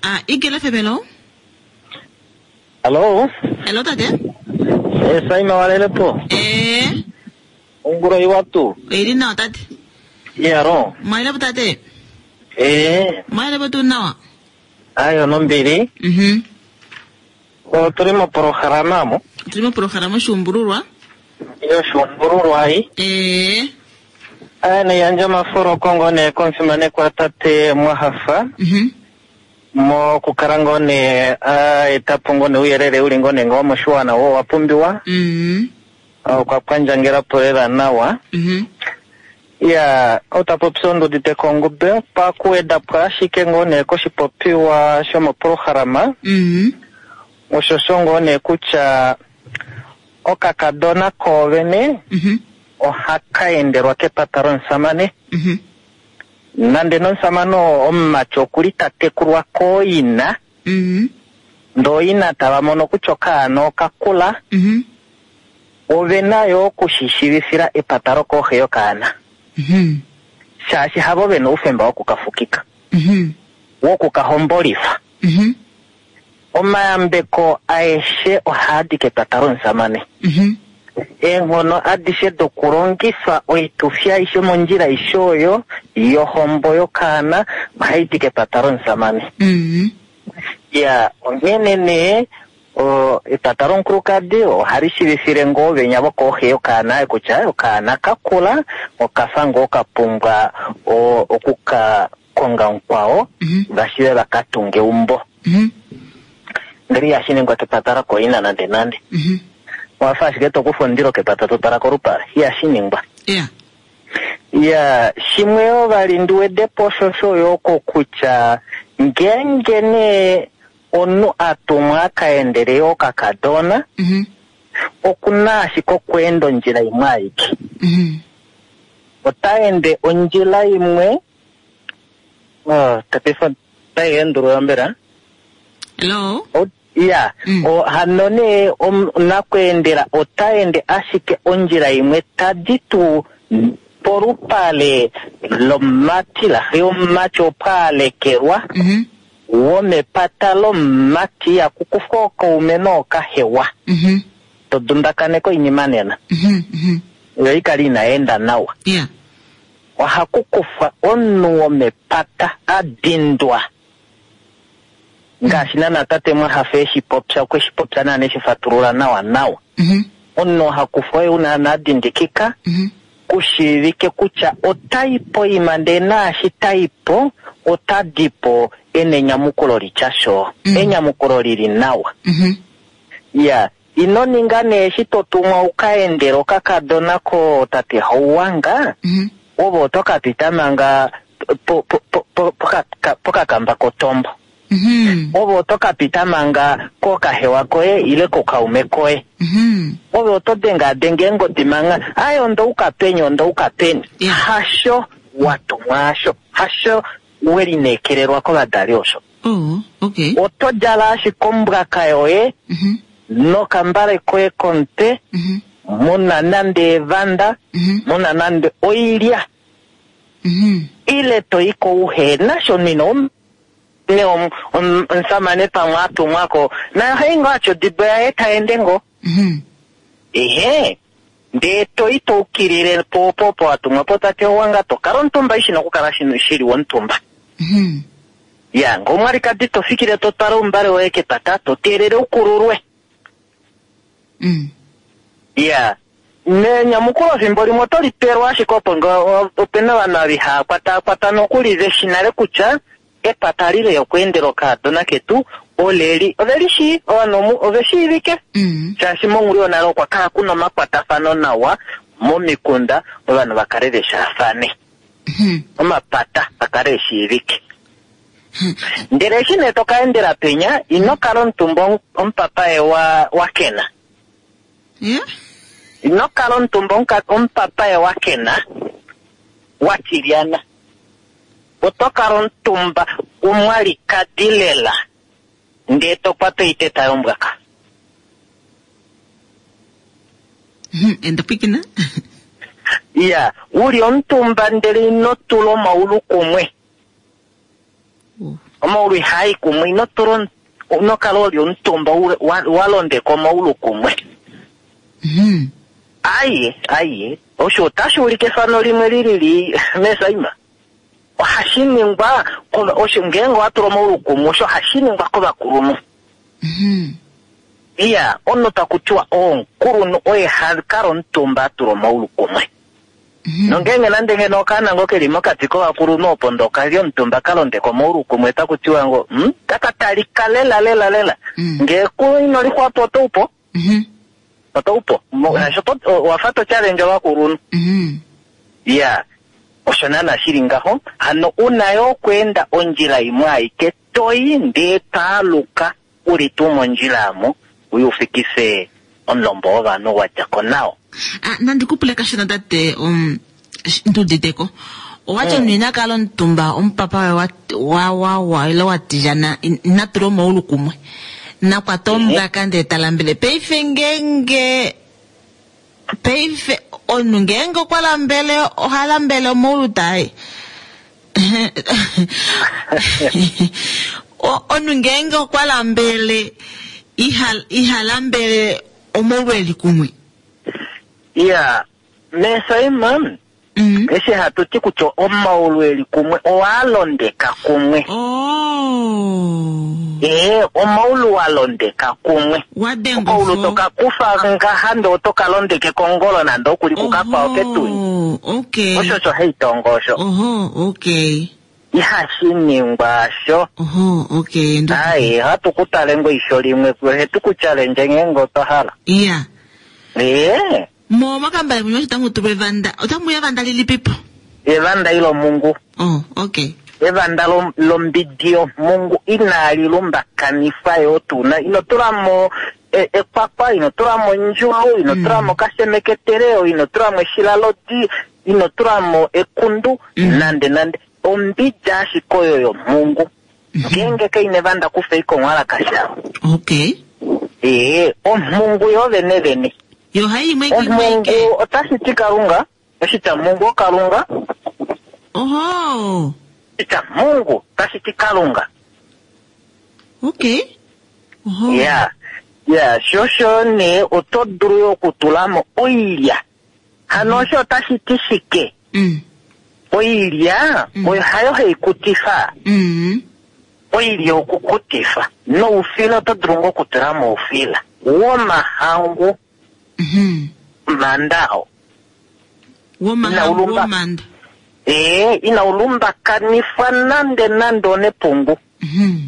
Ah, Igela F M hello. Hello. Hello tate. Eh, Saima walelepo. Eh. Onguro iwatu. Oili nawa tate. Yaro. Mwalelepo tate. Eh. Mwalelepo tu nawa. Ayo nombili. Mhm. Otuli moprograma mo. Tuli moprograma oshuumbululwa. Yoshuumbululwa ai. Eh. Aya neyandja omafuro kongo ne komufimanekwa tate Mwahafa. Mhm. Mokukala ngoo ne a etapo ngoo ne ouyelele uli ngoo ne ngoo moshiwana wo wa pumbiwa. Mhm. Okwa kwandjangela po lela nawa. Mhm. Ya, otapopya ondudite kongube pakuweda po ashike ngoo ne koshipopiwa shomoprograma. Mhm. Osho sho ngoo ne kutya okakadona koovene Mhm. ohaka endelwa kepata lomusamane. Mhm. Nande nomusamane oo omumati okuli ta tekulwa kooina. Mhm. Ndoo ina tava mono kutya okaana okakula. Mhm. Ove nayo okushishivifila epata lokooxe yokaana. Mhm. Shaashi havo vena oufemba wokukafukika. Mhm. Wokukahombolifa. Mhm. Omayambeko aeshe ohaadi kepata lomusamane. Mhm. Eenghono adishe dokulongifa oitufi aishe mondjila aishe oyo yohombo yokaana ohaidi kepata lomusamane. Mhm. Ya, onghene nee o, epata lomukulukadi ohali shivifile ngoo venya vokooxe yokaana kutya okaana kakula okafa ngoo kapumbwa o, okuka konga mukwao Mhm. vashive vakatunge eumbo. Mhm. Ndele ihashi ningwa kepata lakoina nande nande. Mhm. Wafa ashike tokufa omundilo kepata totala kolupale, ihashi ningwa. Yeah. Ya, shimwe yoo vali ndiwedepo osho sho yoo kokutya ngeenge nee omunhu a tumwa a ka endele yoo okakadona, Mhm. okuna ashike okweenda ondjila imwe aike. Mhm. Ota ende ondjila imwe. Oh, tapifa otai endulula mbela? Hello. O- Ya, Mm. o, hano nee om- nakweendela ota ende ashike ondjila imwe tadi tuu polupale lomumati laxe yomumati opo alekelwa Mhm. womepata lomumati yakukufwa okaume nookahewa. Mhm. Todundakaneka oinima nena. Mhm. Mhm. Yo ikale inaenda nawa. Yeah. Ohakukufwa omunhu womepata a dindwa. Ngaashi naana tate Mwahafa eshi popya, okwe shi popya naana eshi fatulula nawa nawa. Mhm. Omunhu ohakufwa oye una naana a dindikika, Mhm. kushiivike kutya otai po ima ndee naashi tai po, ota di po ena enyamukulo litya sho. Mm. Enyamukulo lili nawa. Mhm. Ya, ino ninga nee eshi to tumwa uka endele okakadona ko tate Hauwanga, Mhm. ove oto ka pita manga po- po- po- po- poka- pokakamba kotombo. Mhm. Ove oto ka pita manga kokahewa koye ile kokaume koye. Mhm. Ove oto dengadenga eengodi manga, aye ondouka peni, ondouka peni. Yeah. Hasho watumwa asho, hasho welineekelelwa kovadali osho. Oh, okay. Oto djala ashike ombwaka yoye Mhm. nokambale koye komutwe, Mhm. muna nande evanda, Mhm. muna nande oilya. Mhm. Ile toyi kouhena shonina om- ne om- om- omusamane pamwe a tumwako naye ohayi ngoo atya odibo yaye taende ngoo. Mhm. Ehe, ndee toyi toukilile po opo opo watumwa po tate Owanga tokala omutumba ishina okukala shino shili womutumba. Mhm. Ya, ngoo omwalikadi to fikile to twala oumbale woye kepata to teelele ukululwe. Mm. Ya, Nenyamukulo fimbo limwe oto li pelwa ashike opo ngo opena ovanhu ava ihaya kwataakwata nokuli veshi nale kutya epata lile okweendela okaadona ketu oleli ove li shii ovanhu omu- ove shiivike Mm. shaashi monghulu yonale okwa kala kuna omakwatafano nawa momikunda ovanhu va kale veshaafane Mhm. omapata a kale eshiivike ndele eshi nee to ka endela penya ino kala omutumba omupapaye wa wa kena Yeah. ino kala omutumba omuka- omupapaye wa kena wa tilyana oto kala omutumba umwalikadi lela ndee to kwata oiteta yombwaka Mhm. Enda pwikina. iya uli omutumba ndele ino tula omaulu kumwe Oh. omaulu ihaayi kumwe ino tula omu- ino kala oli omutumba u- wa- wa londeka omaulu kumwe Mhm. aye aye osho otashi ulike efano limwe lilili mesaima ohashi ningwa kova- osho ngeenge wa tula omaulu kumwe osho hashi ningwa kovakulunhu Mhm. iya omunhu taku tiwa omukulunhu oye ha kala omutumba a tula omaulu kumwe Mhm. nongeenge nande ngeno okaana ngo keli mokati kovakulunhu opo ndo kali omutumba ka londeka omaulu kumwe taku tiwa ngo hmm, taka talika lela lela lela Mm. ngee ku ino lixwapo otoupo Mhm. otoupo Mo- asho to- wafa to challenge ovakulunhu Mhm. ya osho naana shili ngaho hano una yo okweenda ondjila imwe aike toyi ndee taaluka uli tuu mondjila amo uye ufikise omulombo wovanhu wa dja ko nawo Ah, nandi kupule kashona tate um, sh- nduditeko owati Mm. omunhu ina kala omutumba omupapa wa wa wa wa ile wa tijana in- ina tula omaulu kumwe nakwata ombwaka ndee talambele paife ngeenge paife omunhu ngeenge okwa lambele oha lambele omaulu taye O- omunhu ngeenge okwa lambele iha iha lambele omaulu eli kumwe ya mesaima mm. eshi hatu ti kutya omaulu eli kumwe owalondeka kumwe Oh. ee omaulu wa londeka kumwe Wadenga okaulu ofo. toka kufa ngaha ndee otoka londeke kongolo nande okuli kukakwao ketuni Oho, okay. osho osho haitongo osho Oho, okay. ihashi ningwa sho Oho, okay. Ndo- aye hatu ku tale ngo isho limwe hetu ku challenge ngeenge otwa hala Iya. ee Mo makambale munyo otamu tulwa evanda. Otamu evanda lilipipo. evanda ilomungu Oh, okay. evanda lo- lombidi yomungu inali lumbakanifwa yo tuna ino tulamo e- ekwakwa ino tulamo ondjulu ino Mm. tulamo kasemeketeleo ino tulamo eshilalodi ino tulamo ekundu Mm. nande nande ombidi ashike oyo yomungu ngeenge kaina evanda kufa ikonwala kasha Okay. ee omhungu yo vene vene Yo hayi imwe imwe omhungu ike. otashi ti kalunga oshitya mungu okalunga Oho. oshitya mungu otashi ti kalunga Okay. Oho. ya ya sho sho nee oto dulu yo okutulamo oilya hano osho otashi ti shike Mm. oilya Mm. oyo hayo hai kutifa Mm. oilya okukutifa noufila oto dulu ngo okutulamo oufila womahangu Mhm. mandao Woma Ina ulumba. womanda. ee ina ulumbakanifwa nande nande onepungu Mhm.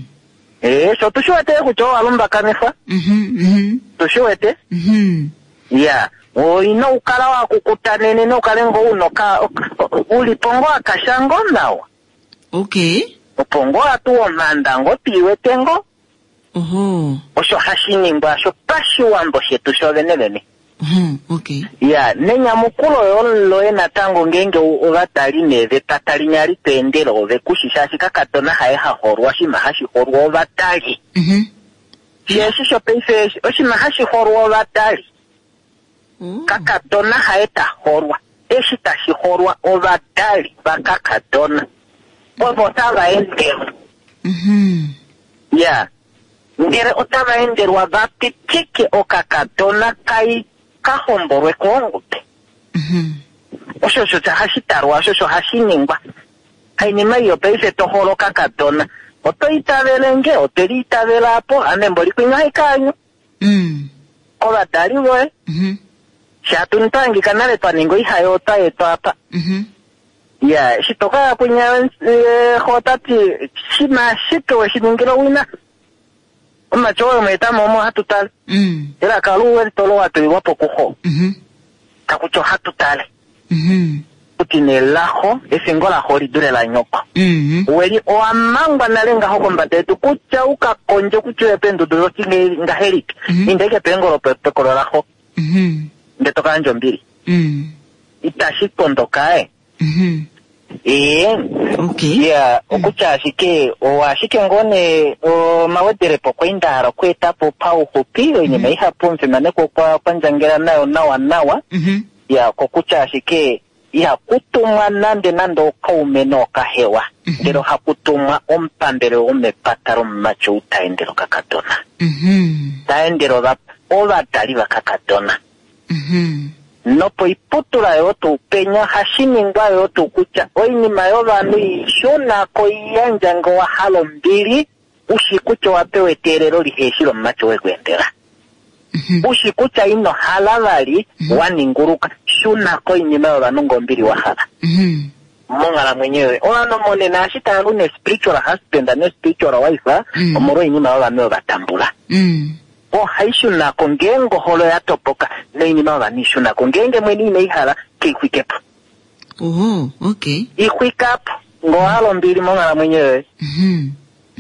ee sho tushi wete kutya owalumbakanifwa Mhm. Mhm. tushi wete Mhm. ya ino ukala wakukutanene nokale ngo unoka ulipo ngo akasha ngo nawa Okay. opo ngo atu omanda ngo tiiwete ngo Oho. osho hashi ningwa sho pashiwambo shetu sho vene Oho, okay. ya nenyamukulo yo loye natango ngeenge o- ovatali nee vepata linya litweendele ove kushi shaashi kakadona haye haholwa oshinima hashi holwa ovatali Mhm. sheeshi shopaife oshinima hashi holwa ovatali Oh. kakadona haye taholwa eshi tashi holwa ovadali vakakadona ovo tava endelwa Mhm. ya ndele otava endelwa va pitike okakadona kai ka hombolwe koongube Mhm. osho osho hashi talwa osho osho hashi ningwa hainima iyo paife to holo okakadona oto itavele nge oteli itavela apo ame mboli kwinya haikaanyu Mm. kovadali voye Mhm. Shaatu twahangika nale twa ninga oihayo otwa etwa apa. Mhm. Ya, eshi tokaya kwinya eh, xo ota ti shima ashike weshi ningila owina. Omumati oyo mweetamo omo ohatu tale. Mm. Elaka luwelitolo watulilwa po kuxo. Mhm. Takutya ohatu tale. Mhm. Kuti nelaxo, efingo laxo oli dule lanyoko. Mhm. Weli owa mangwa nale ngaho kombada yetu kutya ukakondje kutya uye peendudu doti ngahelipi. Mhm. Inda ike peengolo pe- pekolo laxo Mhm. ndele to ka yandja ombili. Mm. Itashi pondoka e. Mhm. Ee. Okay. Ya, okutya ashike owa ashike ngoo nee omawedelepo kwai nda hala okweeta po pauxupi oinima ihapu omufimanekwa okwa kwandjangela nayo nawa nawa. Mhm. Ya, kokutya ashike ihaku tumwa nande nande okaume nookahewa. Mhm. Ndele ohaku tumwa omupambele womepata lomumati ou ta endele okakadona. Mhm. Ta endele ova- ovadali vakakadona. Mhm. Nopoiputula yoo tuu penya ohashi ningwa yoo tuu kutya oinima yovanhu ishunako iyandja ngee owa hala ombili ushi kutya owa pewa eteelelo liheshi lomumati wekweendela. Mhm. Ushi kutya ino hala vali wa ninguluka shunako oinima yovanhu ngee ombili wa hala. Mhm. Monghalamwenyo yoye ovanhu monena eshi tava lu ne-spiritual husband ne-spiritual wife Mm. omolwa oinima yovanhu oyo va tambula. Mm. Ohai shunako ngeenge ohole oya topoka noinima yovanhu ishunako ngeenge mwene ine i hala keixwikepo. Oh, okay. Ixwikapo ngee owa hala ombili monghalamwenyo yoye. Mhm.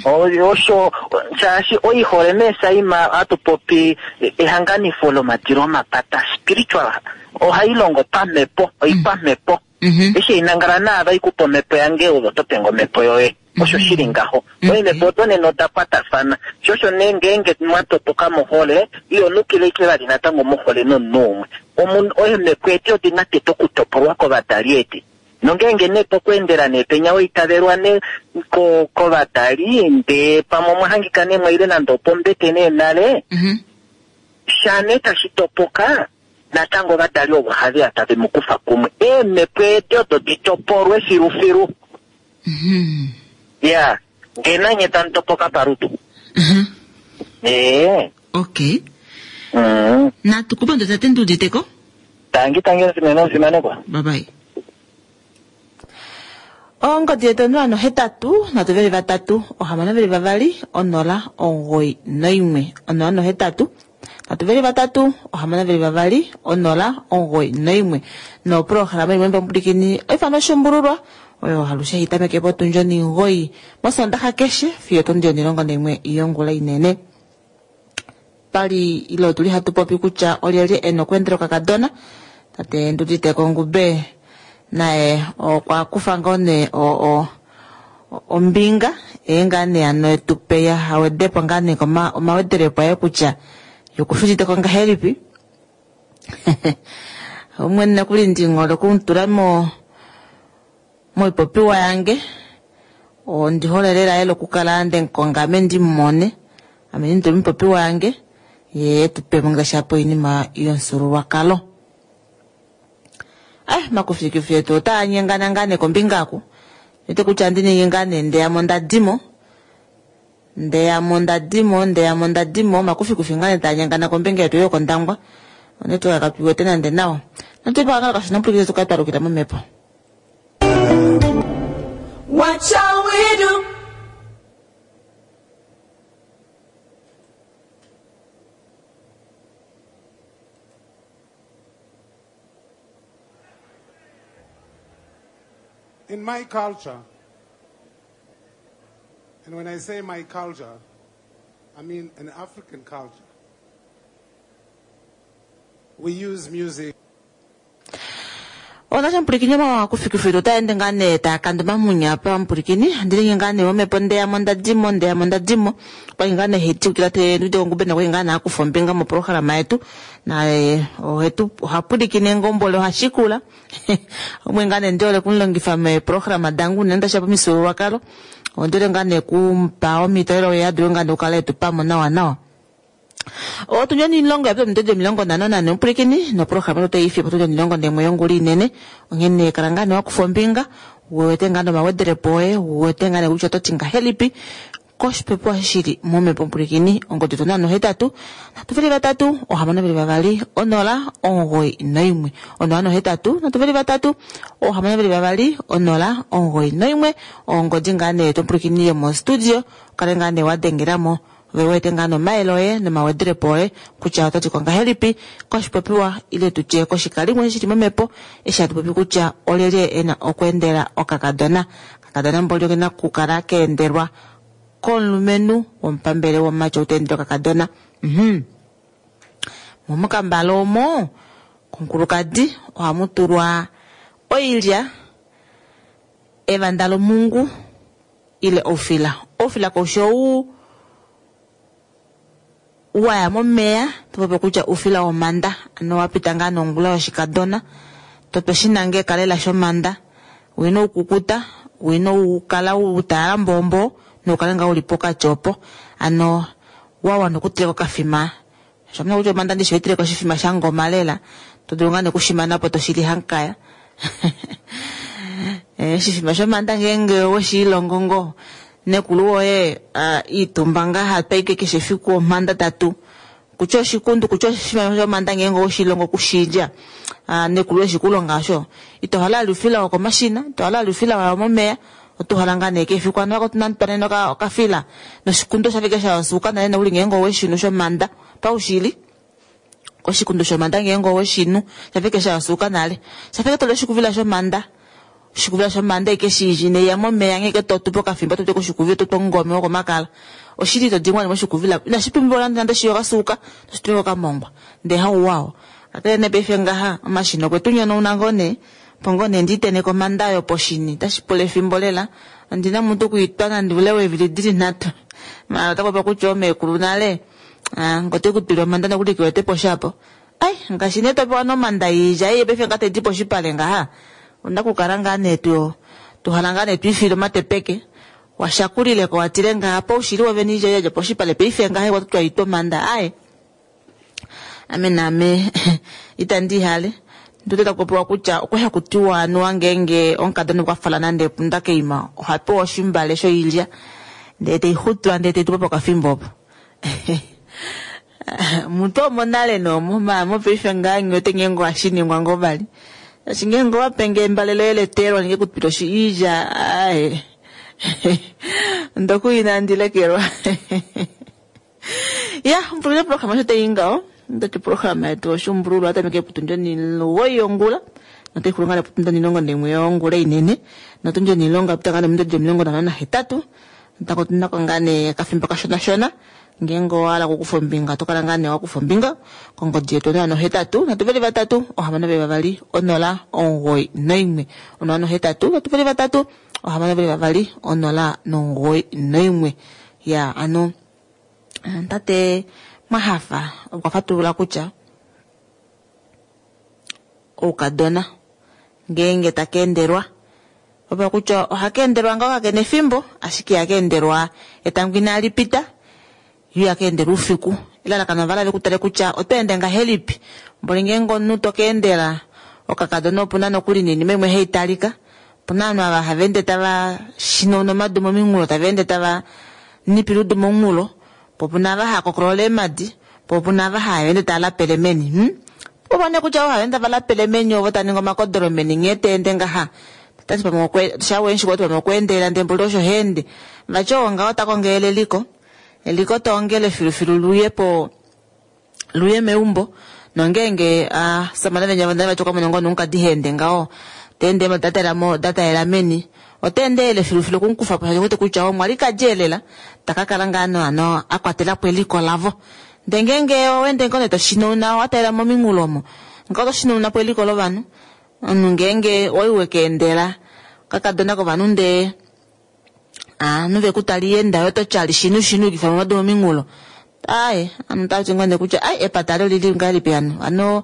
O- Osho shaashi oihole meesaima hatu popi ehanganifo lomadilo omapata spiritual ohai longo pamhepo oikwamhepo. Mhm. Eshi inangala naava ikupa omhepo yange ove oto penge omhepo yoye. Osho shili ngaho. Mhm. Oimhepo odo nena oda kwatafana. Sho osho nee ngeenge mwa topoka mohole, iyo nukile ike vali natango mohole nomunhu umwe. Omunhu oimhepo edi odina tete okutopolwa kovadali edi. Nongeenge nee pokweendela nee penya waitavelwa nee ko- kovadali ndee pamwe omwa hangika nee mwaile nande opombete nee nale, Mhm. sha nee tashi topoka natango ovadali ovo have ya tave mu kufa kumwe. Eemhepo edi odo di topolwe filufilu. Mhm. Ya, ngee nanye tamu topoka palutu. Mhm. Ee. Okay. Mm. Natu kupandula tate Nduuditeko. Tangi tangi omusimene omufimanekwa. Bye bye. Ongodi yetu onola nohetatu nhatu veli vatatu ohamano veli vavali onola omugoyi noimwe onola nohetatu nhatu veli vatatu ohamano veli vavali onola omugoyi noimwe noprograma imwe mbamupulikini oifano oshumbululwa oyo halushe hitameke potundi onimugoyi mosondaxa keshe fiyo otundi onilongo naimwe yongula inene pali ile otuli hatu popi kutya olyelye ena okweendela okakadona tate Nduditeko Ngube naye okwa kufa ngoo nee o- o- o- ombinga ee ngaa nee ano etupe awedepo ngaa nee koma- omawedelepo aye kutya yokushuditeko ngahelipi umwe nokuli ndingole okumutula mo moipopiwa yange ondi hole lela lela okukala nde mukonga ame ndimumone ame ndimutule moipopiwa yange ye etupemo ngaashi apa oinima yomufyuululwakalo. Eh, makufikufi etu otaa nyengana ngaa nee kombinga aku ete kutya andi ningi ngaa nee ndeyamo ndadimo ndeyamo ndadimo ndeyamo ndadimo makufikufi ngaa nee taa nyengana kombinga yetu yokondangwa onetwork katuiwete nande nawa natupakangala kashona mpulikile tukale twalukila momhepo. What shall we do? In my culture, and when I say my culture, I mean an African culture, we use music Onasha mupulikini omakufikufiki otaende ngaa nee taakanda omamunya apa mupulikini ndilingi ngaa nee momhepo ndeyamo ndadimo ndeyamo ndadimo okwali ngaa nee hetiukila te Nduditeko Ngube nokwali ngaa nee akufa ombinga moprograma yetu naye ohetu ohapulikine ngombole ohashikula umwe ngaa nee ndihole okumulongifa meeprograma dange unene tashiya pomifyuululwakalo ondihole ngaa nee kumupa omhito elo ye adule ngaa nee okukala etupamo nawa nawa. Otundi onilongo yapita ominute omilongo nhano nane mupulikini noprograma yetu otayi ifipo otundi omilongo naimwe yongula inene onghene kala ngaa nee wakufa ombinga uwete ngaa nee omawedelepo oye uwete ngaa nee kutya ototi ngahelipi Koshipopiwa shili momhepo pwilikini ongodi onola nohetatu nhatu veli vatatu ohamano veli vavali onola omugoyi noimwe onola nohetatu nhatu veli vatatu ohamano veli vavali onola omugoyi noimwe ongodi ngaa nee topwilikini yomostudio kale ngaa nee wadengelamo ove wete ngaa nomayele oye nomawederepo oye kutya otati ko ngahelipi koshipopiwa ile tutye koshikalimwe shili momhepo eshi hatu popi kutya olyelye ena okweendela okakadona kakadona mboli okena okukala keendelwa komulumenhu womupambele womumati ou taendele okakadona. Mhm. Momukambala omo komukulukadi ohamu tulwa oilya, evanda lomungu ile oufila. Oufila koushi ou waya momeya topopi kutya oufila womanda ano wapita ngaa nongula yoshikadona totwe shinange ekalela shomanda wina oukukuta wina ukala utalala mbombo noukale ngaa uli pokati opo ano wawana okuteleka okafima shamuna kutya omanda ndishi oiteleka oshifima shangoma lela todulu ngaa nekushimanapo toshili hankaya oshifima shomanda ngeenge weshiilongo ngoo nekulu woye iitumba ngaa hatwaike keshe efiku omanda tatu kutya oshikundu kutya oshifima shomanda ngeenge oweshilongo okushilya nekulu eshikulonga osho ito hala ali oufila wokomashina ito hala ali oufila waya momeya otohala ngaa nee kefiku ano wako okafila noshikundu oshafike shasuuka nale nokuli ngeenge oweshinu shomanda paushili oshikundu shomanda ngeenge oweshinu shafike shasuuka nale shafike toli oshikuvila shomanda oshikuvila shomanda ike shili neya momeya ngeke totupo okafimbo totwe koshikuvila totwe omungome wokomakala oshili to dingwa moshikuvila inashi pumbiwa nande nande shiyo kasuuka toshituleko okamongwa ndee hauwao kakele nee paife ngaha omashina okwetu nyonauna ngoo nee opo ngoo nee ndiiteneke omanda oyo poshini otashi pula efimbo lela ondina mutu okwiitwa nande oule weevili dili nhatu maala otapopiwa kutya oomekulu nale ngote kutwile omanda nokuli kewete poshapo ai ngaashi nee topewa nomanda yiilya ei paife ngaa taidi poshipale ngaha onda kukala ngaa nee tu tuhala ngaa nee twiifile omatepeke washakulileko watile ngaha paushili wovene iilya yadja poshipale paife ngaha watutwa itwa omanda aye ame naame itandi ihale ndute takupopiwa kutya okwa hakutiwa anuwa ngeenge omukadona okwafala nande epunda keima ohapewa oshimbale shoilya ndee teixutwa ndee teitupa pokafimbo opo mutu omonale noomo maala mopaife ngaa nghiwete ngeenge ohashiningwa ngoo vali shaashi ngeenge owapenge embale loye leteelwa nenge kutwile iilya aaye ndoku inandi lekelwa ya mpulile programa osho tayi ngaho ndati programa yetu oshumbululwa atameke putundi onimugoyi yongula notaixulu ngaa neputundi onilongo naimwe yongula inene notundi onilongo apita ngaa nominute omilongo nhano nahetatu natango otunako ngaa nee okafimbo kashonashona ngeenge owahala okukufa ombinga otokala ngaa nee wakufa ombinga kongodi yetu onola nohetatu nhatu veli vatatu ohamano veli vavali onola omugoyi noimwe onola nohetatu nhatu veli vatatu ohamano veli vavali onola nomugoyi noimwe ya ano tate Mwahafa okwa fatulula kutya oukadona ngeenge taka endelwa opa kutya ohaka endelwa ngaho kakena efimbo ashike ihaka endelwa etango inali pita yo ihaka endelwa oufiku elalakano ovala vekutale kutya oto ende ngahelipi mboli ngeenge omunhu toka endela okakadona opuna nokuli noinima imwe haitalika opuna ovanhu ava hava ende tava shinauna omadu mominghulo tava ende tava nipile oudu momunghulo po opuna ava hava kokolola eemadi po opuna ava hava ende tava lapele meni hmm? Opo nee kutya ovo hava ende tava lapele meni ovo tava ningi omakodolo meni nghee teende ngaha tati pamwe shawenshi kwati pamwe okweendelela ndee mboli osho heende vati oo ngaho takongele eliko eliko toongele filufilu luye po luye meumbo nongeenge asamane venya vonale vati okamona ngoo nomukadi heende ngaho teende dataela meni oteendelele filufilu okumukufapo shaashi okuwete kutya omwalikadi elela takakala ngaa ano akwatelapo eliko lavo ndee ngeenge owaende ngoo nee toshinauna watalela mominghulo omo ngaho otoshinaunapo eliko lovanhu omunhu ngeenge owali wekeendela okakadona kovanhu ndee ovanhu vekutala iyenda yo ototyali shinu shinu yukifa momadu mominghulo aaye ovanhu otavati ngoo nee kutya ai epata lolili ngahelipi hano hano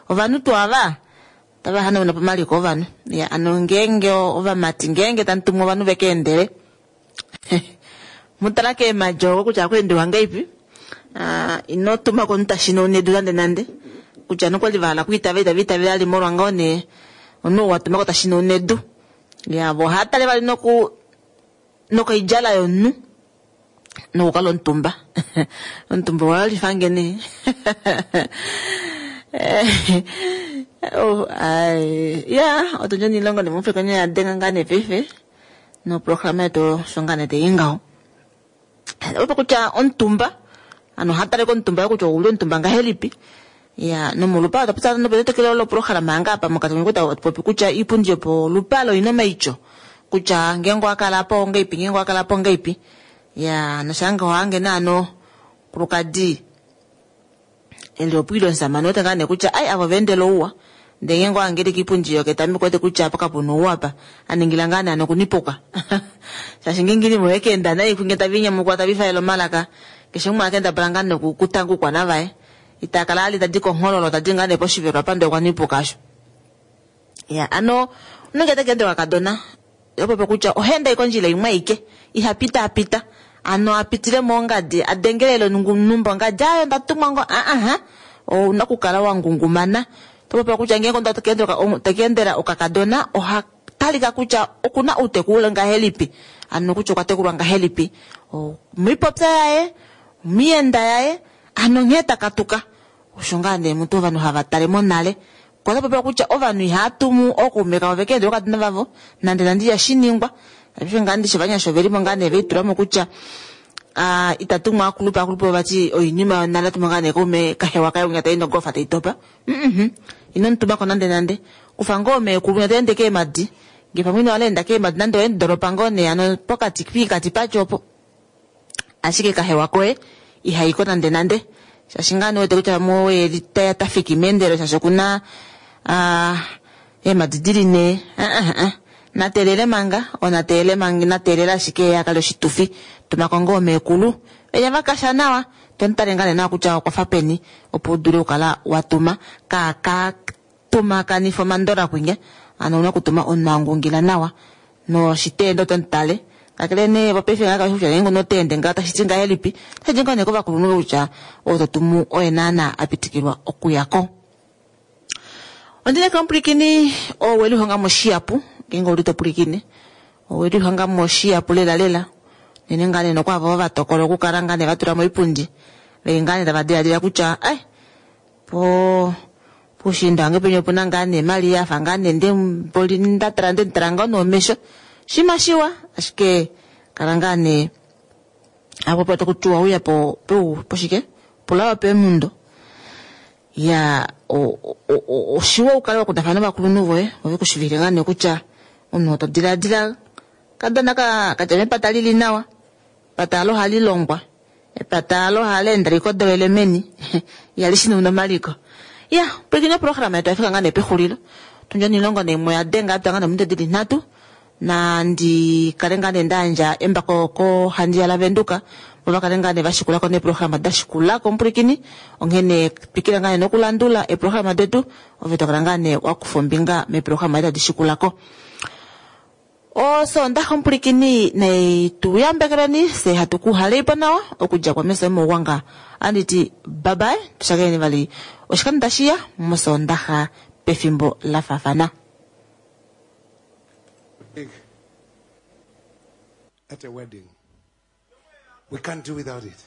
ovanhu tuu ava tava hanauna po omaliko ovanhu ya ano ngeenge ovamati ngeenge tamu tumu ovanhu vekeendele mutala keemadi oko kutya ohakweendiwa ngahelipi ino tuma komunhu tashinauna edu nande nande kutya nokwali vahala okwiitavela itava itavele vali molwa ngoo nee omunhu ou watumako tashinauna edu ya vo ohaatale vali noku nokoidjala yomunhu Nokukala omutumba. Omutumba owa lifange nee. Oh, ai. Ya, otundja onilongo nemufekonyo ya denga ngaa nee paife. Noprograma yetu osho ngaa nee tayi ngaho. Opo kutya omutumba, ano oha tale komutumba kutya ouli omutumba ngahelipi. Ya, nomolupalo otwa popya nopetetekelo loprograma yange apa mokati komikuta popi kutya iipundi yopolupalo oyina omaityo. Kutya ngeenge owa kala po ongeipi, ngeenge owa kala po ongeipi. Ya, noshange ohange naano kulukadi eli opwiile omusamane wete ngaa nee kutya ai avo veendela ouwa. Ndee ngeenge ohange li kiipundi yoketameko wete kutya apa kapuna ouwa apa. Aningila ngaa nee ano okunipuka. Shaashi ngeenge inima oye keenda nai kunge tavi nyamukula tavi faele omalaka. Keshe umwe akendabala ngaa nee okutanga oukwana vaye. Ita kala ali tadi konghololo tadi ngaa nee poshivelo apa ndee okwa nipuka asho. Ya, ano unenge takeende kakadona opopo kutya oha enda kondjila imwe aike iha pita pita ano apitile mongadi adengelele numba ongadi ayo ndatumwa ngo aha ouna okukala wa ngungumana. Topopiwa kutya ngeenge omunhu takeendela okakadona oha talika kutya okuna outeku uli ngahelipi, ano kutya okwa tekulwa ngahelipi, omoipopya yaye, omienda yaye, ano nghee takatuka. Osho ngaa nee mutu ovanhu hava tale monale. Kwa popiwa kutya ovanhu ihava tumu ookaume kavo vekeendela okakadona vavo nande nande ihashi ningwa. Paife ngaa ndishi ovanyasha ovelimo ngaa nee veitulamo kutya ah itatumwa akulupe akulupe vati oinima yonale atuma ngaa nee kaume kahewa kaye unya tai nogofa tai topa. Mhm. Ino mutumako nande nande. Kufa ngoo meekulu unya taende keemadi. Ngee pamwe ino hala enda keemadi nande oende doropa ngoo nee ano pokati piikati patyo opo. Ashike kahewa koye ihaiko nande nande. Shaashi ngaa nee wete kutya pamwe oye ta tafiki meendelelo shaashi okuna ah eemadi dili nee. Ah ah ah. Natelele manga, onatelele manga, natelele ashike yakale oshitufi. Tumako ngoo meekulu. Eya vakasha nawa, tomutale ngaa nee nawa kutya okwafa peni opo udule okukala watuma kaaka tumakanifa omandola kwinya. Ano ouna okutuma omunhu angungila nawa noshiteende oto mutale. Kakele nee paife ngaa kutya ngeenge onoteende ngaho tashi ti ngahelipi, otashi di ngoo nee kovakulunhu kutya oo totumu oye naana apitikilwa okuyako. Ondineka omupwilikini oo welihonga moshiyapu, ngeenge ouli topwilikine, owelihonga moshiyapu lela lela. Nene ngaa nee nokwaavo va tokola okukala ngaa nee vatula moipundi, veli ngaa nee tava diladila kutya ai po puushiinda wange penya opuna ngaa nee Maria afa ngaa nee ndemboli ndatala ndemutala ngoo noomesho. Shima shiwa, ashike kala ngaa nee apo po tokutiwa uya po po poshike pulawa peemundo. Ya oshiwa ukale wakundafana novakulunhu voye ove kushivile ngaa nee kutya omunhu oto diladila kadona ka kadja mepata lili nawa. Epata alo ohali longwa, epata alo ohali enda likodolele meni ihali shinuna omaliko. Ya, pwilikine oprograma yetu yafika ngaa nee pexulilo. Tundja onilongo naimwe oya denga yapita ngaa nee ominute dili nhatu. Nandi kale ngaa nee ndayandja embako kohandiya laVenduka vo vakale ngaa nee vashikulako neeprograma dashikulako omupwilikini. Onghene twikila ngaa nee nokulandula eeprograma detu ove tokala ngaa nee wakufa ombinga meeprograma tadi shikulako. Osoondaxa omupwilikini naituyambekeleni fye hatu kuhaleipo nawa okudja kwamesho mouwanga. Anditi bye bye, tushakeneni vali oshikando tashiya mosoondaxa pefimbo la faafana. At a wedding, we can't do without it.